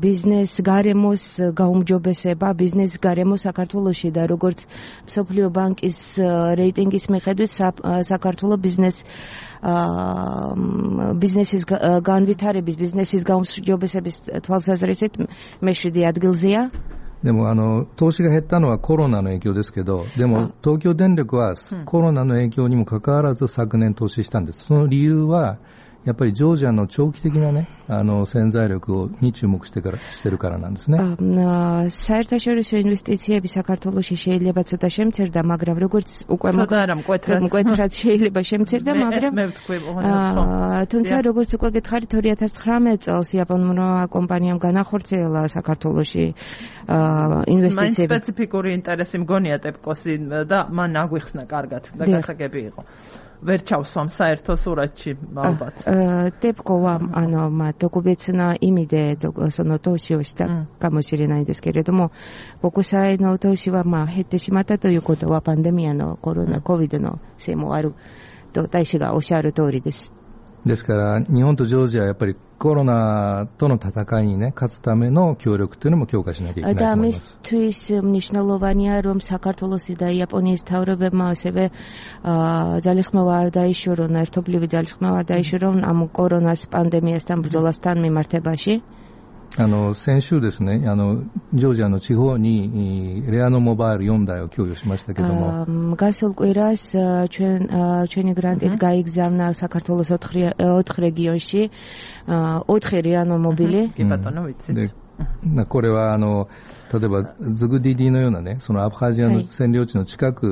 ბიზნეს გარემოს გაუმჯობესება, ბიზნეს გარემო საქართველოში და როგორც მსოფლიო ბანკის რეიტინგის მიხედვით საქართველოს ბიზნეს ბიზნესის განვითარების, ბიზნესის გაუმჯობესების თვალსაზრისით მეშვიდე ადგილზეა. でもあの投資が減ったのはコロナの影響ですけど、でも東京電力はコロナの影響にもかかわらず昨年投資したんです。その理由はやっぱりジョージアの長期的なねあの潜在力に注目してからしてるからなんですね。საერთაშორისო ინვესტიციები საქართველოში შეიძლება ცოტა შემცირდა, მაგრამ როგორც უკვე მკვეთრად შეიძლება შემცირდა, მაგრამ თუმცა როგორც უკვე გითხარით ორი ათას ცხრამეტ წელს იაპონურმა კომპანიამ განახორციელა საქართველოში ინვესტიციები. მან სპეციფიკური ინტერესი მგონია ტეპკოსი და მან აგვიხსნა კარგად და გასაგები იყო. ვერ ჩავსვამ საერთო სურათში ალბათ. ტეპკოვა ანუ დოკუმენტნა იმიდე სონო თოშიოში და გამოსირენაიですけれども、国際の投資はまあ減ってしまったということはパンデミアのコロナコビドのせいもあると大使がおっしゃる通りです。ですから日本とジョージアはやっぱりコロナとの戦いにね勝つための協力というのも強化しなきゃいけないと思います。ამისთვის მნიშვნელოვანია რომ საქართველოსი და იაპონიის თავრობებმა ასევე ძალისხმევა არ დაიშორონ, ერთობლივი ძალისხმევა არ დაიშორონ ამ კორონას პანდემიასთან ბრძოლასთან მიმართებაში. あの先週ですね、あのジョージアの地方にレアノモバイルよんだいを供与しましたけども、გასულ კვირას ჩვენ ჩვენი გრანტით გაიგზავნა საქართველოს ოთხ რეგიონში ოთხი რეანო მობილი. კი ბატონო ვიცით. これはあの例えばズグディディのようなね、そのアブハジアの占領地の近く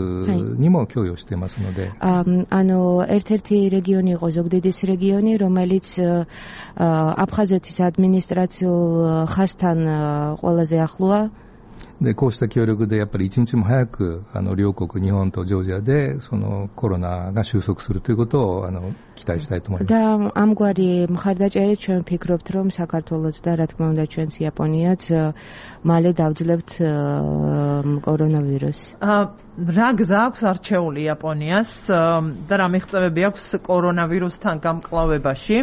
にも供与していますので。あのერთ-ერთი რეგიონი იყო ზუგდიდის რეგიონი, რომელიცアブハゼティスアドミニストラチオხასთან ყველაზე ახლოა。でこうした協力でやっぱり一日も早くあの両国日本とジョージアでそのコロナが収束するということをあの期待したいと思います。და ამგვარი მხარდაჭერით ჩვენ ვფიქრობთ, რომ საქართველოს და რა თქმა უნდა ჩვენც იაპონიაც მალე დავძლებთ კორონავირუსს. რა გზა აქვს არჩეული იაპონიას და რა მიღწევები აქვს კორონავირუსთან გამკლავებაში?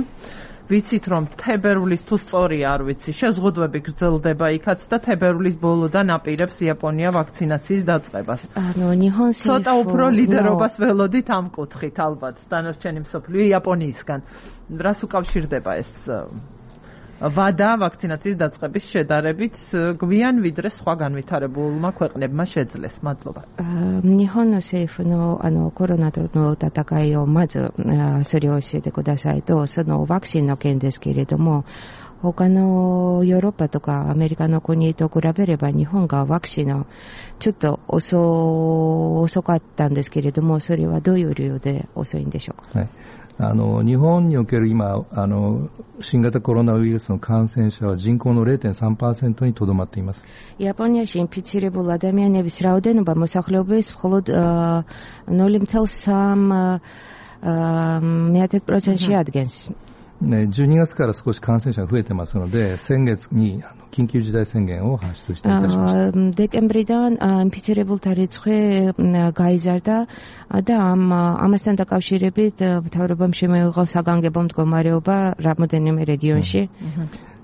ვიცით რომ თებერვლის თუ სწორია არ ვიცი შეზღუდვები გრძელდება იქაც და თებერვლის ბოლოდან აპირებს იაპონია ვაქცინაციის დაწყებას. ანუ ნიჰონსი ცოტა უფრო ლიდერობას ველოდით ამ კუთხით ალბათ დანარჩენი მსოფლიო იაპონიისგან. რას უკავშირდება ეს ვადა ვაქცინაციის დაწყების შედარებით გვიან ვიდრე სხვა განვითარებულმა ქვეყნებმა შეძლეს. მადლობა. 日本の政府のあのコロナとの戦いをまずそれを教えてくださいと、そのワクチンの件ですけれども、他のヨーロッパとかアメリカの国と比べれば日本がワクチンのちょっと 遅, 遅かったんですけれども、それはどういう理由で遅いんでしょうか。はい、あの日本における今あの新型コロナウイルスの感染者は人口の ゼロ点三パーセント にとどまっています。იაპონიაში ინფიცირებულ ადამიანების რაოდენობა მოსახლეობის მხოლოდ ნული ოცდაორი პროცენტი ადგენს. じゅうにがつから少し感染者が増えてますので、先月にあの緊急事態宣言を発出していたしました。დეკემბრიდან ინფიცირებულთა რიცხვი გაიზარდა და ამ ამასთან დაკავშირებით მთავრობამ შემოიღო საგანგებო მდგომარეობა რამოდენიმე რეგიონში.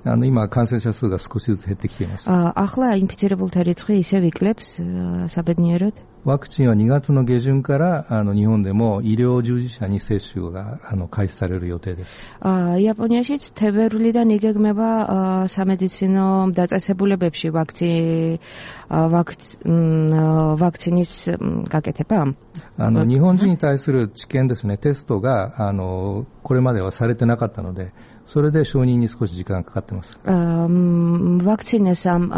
あの今感染者数が少しずつ減ってきています。ახლა ინფიცირებულთა რიცხვი ისევ იკლებს საბედნიეროდ. ワクチンはにがつの下旬からあの日本でも医療従事者に接種があの開始される予定です。იაპონიაშიც თებერვლიდან იგეგმება სამედიცინო დაწესებულებებში ვაქცინის გაკეთება. あの日本人に対する治験ですね、テストがあのこれまではされてなかったので、それで承認に少し時間がかかっています。ვაქცინას ამ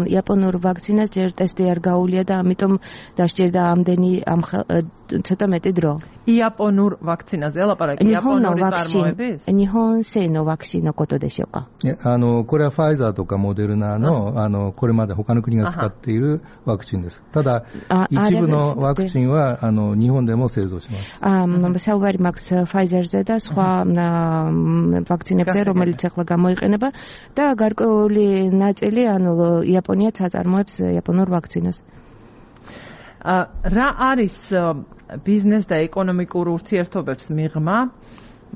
იაპონურ ვაქცინას ჯერ ტესტი არ გაუვლია და ამიტომ დასჭირდა ამდენი ამ ცოტა მეტი დრო. იაპონურ ვაქცინაზე ლაპარაკი იაპონური წარმოების? 日本製のワクチンのことでしょうか。あのこれはファイザーとかモデルナのあのこれまで他の国が使っているワクチンです。ただ一部のワクチンはあの日本でも製造します。საუბარი მაქვს ფაიზერზე და სხვა ვაქცინებზე, რომელიც ახლა გამოიყენება და გარკვეული ნაწილი ანუ იაპონიაც აწარმოებს იაპონურ ვაქცინას. რა არის ბიზნეს და ეკონომიკურ ურთიერთობებს მიღმა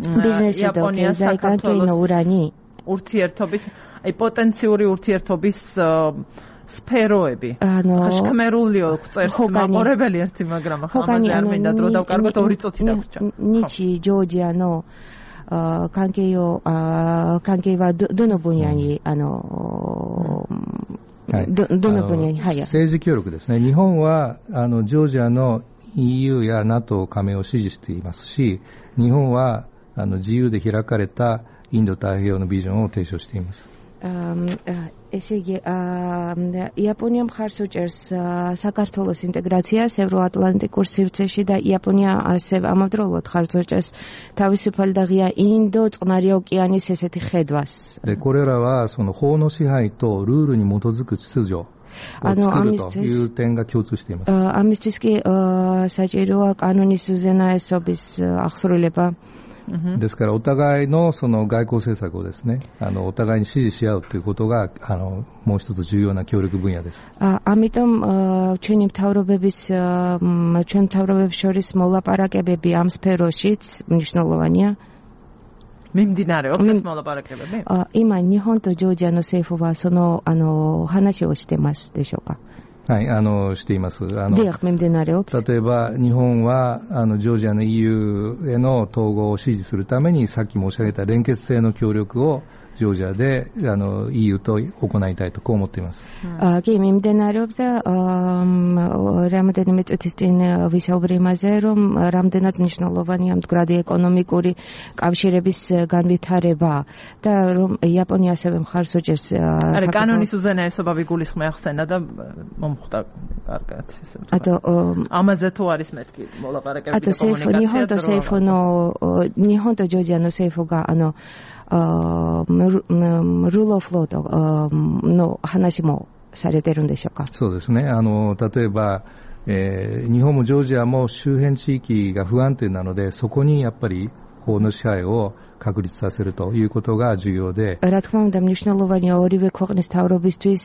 იაპონიას და საქართველოს ურთიერთობის, აი პოტენციური ურთიერთობის სფეროები. ახლა შქმერულიო წერს მაყურებელი ერთი, მაგრამ ახლა ამაზე არ მინდა დრო დავკარგოთ, ორი წუთი დაგვრჩა. ნიჩი ჯორჯია ნო関係を関係はどどの分野にあのどどの分野に、はい、政治協力ですね。日本はあのジョージアの イーユー や ナトー 加盟を支持していますし、日本はあの自由で開かれたインド太平洋のビジョンを提唱しています。ესე იგი იაპონია მხარს უჭერს საქართველოს ინტეგრაციას ევროატლანტიკურ სივრცეში და იაპონია ასევე ამავდროულად მხარს უჭერს თავისუფალი და ღია ინდო წყნარი ოკეანის ესეთი ხედვას. でこれらはその法の支配とルールに基づく秩序を作るという点が共通しています。ამისთვის კი საჭიროა კანონის უზენაესობის აღსრულება. ですからお互いのその外交政策をですね、あのお互いに支持し合うということがあのもう一つ重要な協力分野です。ამიტომ ჩვენი მთავრობების ჩვენ მთავრობებს შორის მოლაპარაკებები ამ სფეროშიც მნიშვნელოვანია. მიმდინარეობს ეს მოლაპარაკებები? 今日本とジョージアの政府はそのあの話をしてますでしょうか。はい、あのしています。あの例えば日本はあのジョージアの イーユー への統合を支持するためにさっき申し上げた連結性の協力をジョージアであの イーユー と行いたいとこう思っています。კი, მიმდინარეობს და რამდენიმე წუთის წინ ვისაუბრე იმაზე, რომ რამდენად მნიშვნელოვანია მდგრადი ეკონომიკური კავშირების განვითარება და რომ იაპონია ასევე მხარს უჭერს არა კანონის უზენაესობა ვიგულისხმე ახსენა და მომხვდა კარგად ესე ვთქვა. ამაზე თუ არის მეთქი მოლაპარაკებები და კომუნიკაცია. 日本と政府の日本とジョージアの政府があのrule of lawの話もされてるんでしょうか。そうですね。あの例えば、えー、日本もジョージアも周辺地域が不安定なので、そこにやっぱり法の支配を確立させるということが重要で。რა თქმა უნდა, მნიშვნელოვანია ორივე ქვეყნის თავრობისთვის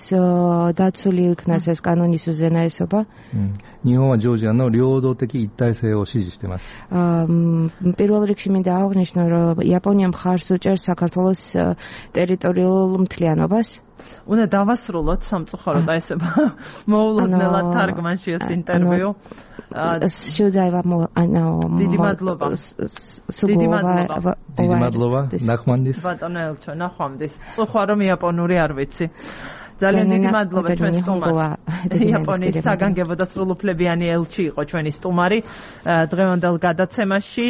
დაცული იქნას ეს კანონის უზენაესობა. 日本はジョージアの領土的一体性を支持しています。პირველ რიგში მინდა აღნიშნო, რომ იაპონია მხარს უჭერს საქართველოს ტერიტორიულ მთლიანობას. უნდა დავასრულოთ სამწუხაროდ აი ესე მოულოდნელად თარგმანში ეს ინტერვიუ. შევძაება ანუ დიდი მადლობა. დიდი მადლობა. დიდი მადლობა. ნახვამდის. ბატონო ელჩო, ნახვამდის. წუხვა რომ იაპონური არ ვიცი. ძალიან დიდი მადლობა ჩვენ სტუმარს. იაპონიის საგანგებო და სრულუფლებიანი ელჩი იყო ჩვენი სტუმარი დღევანდელ გადაცემაში.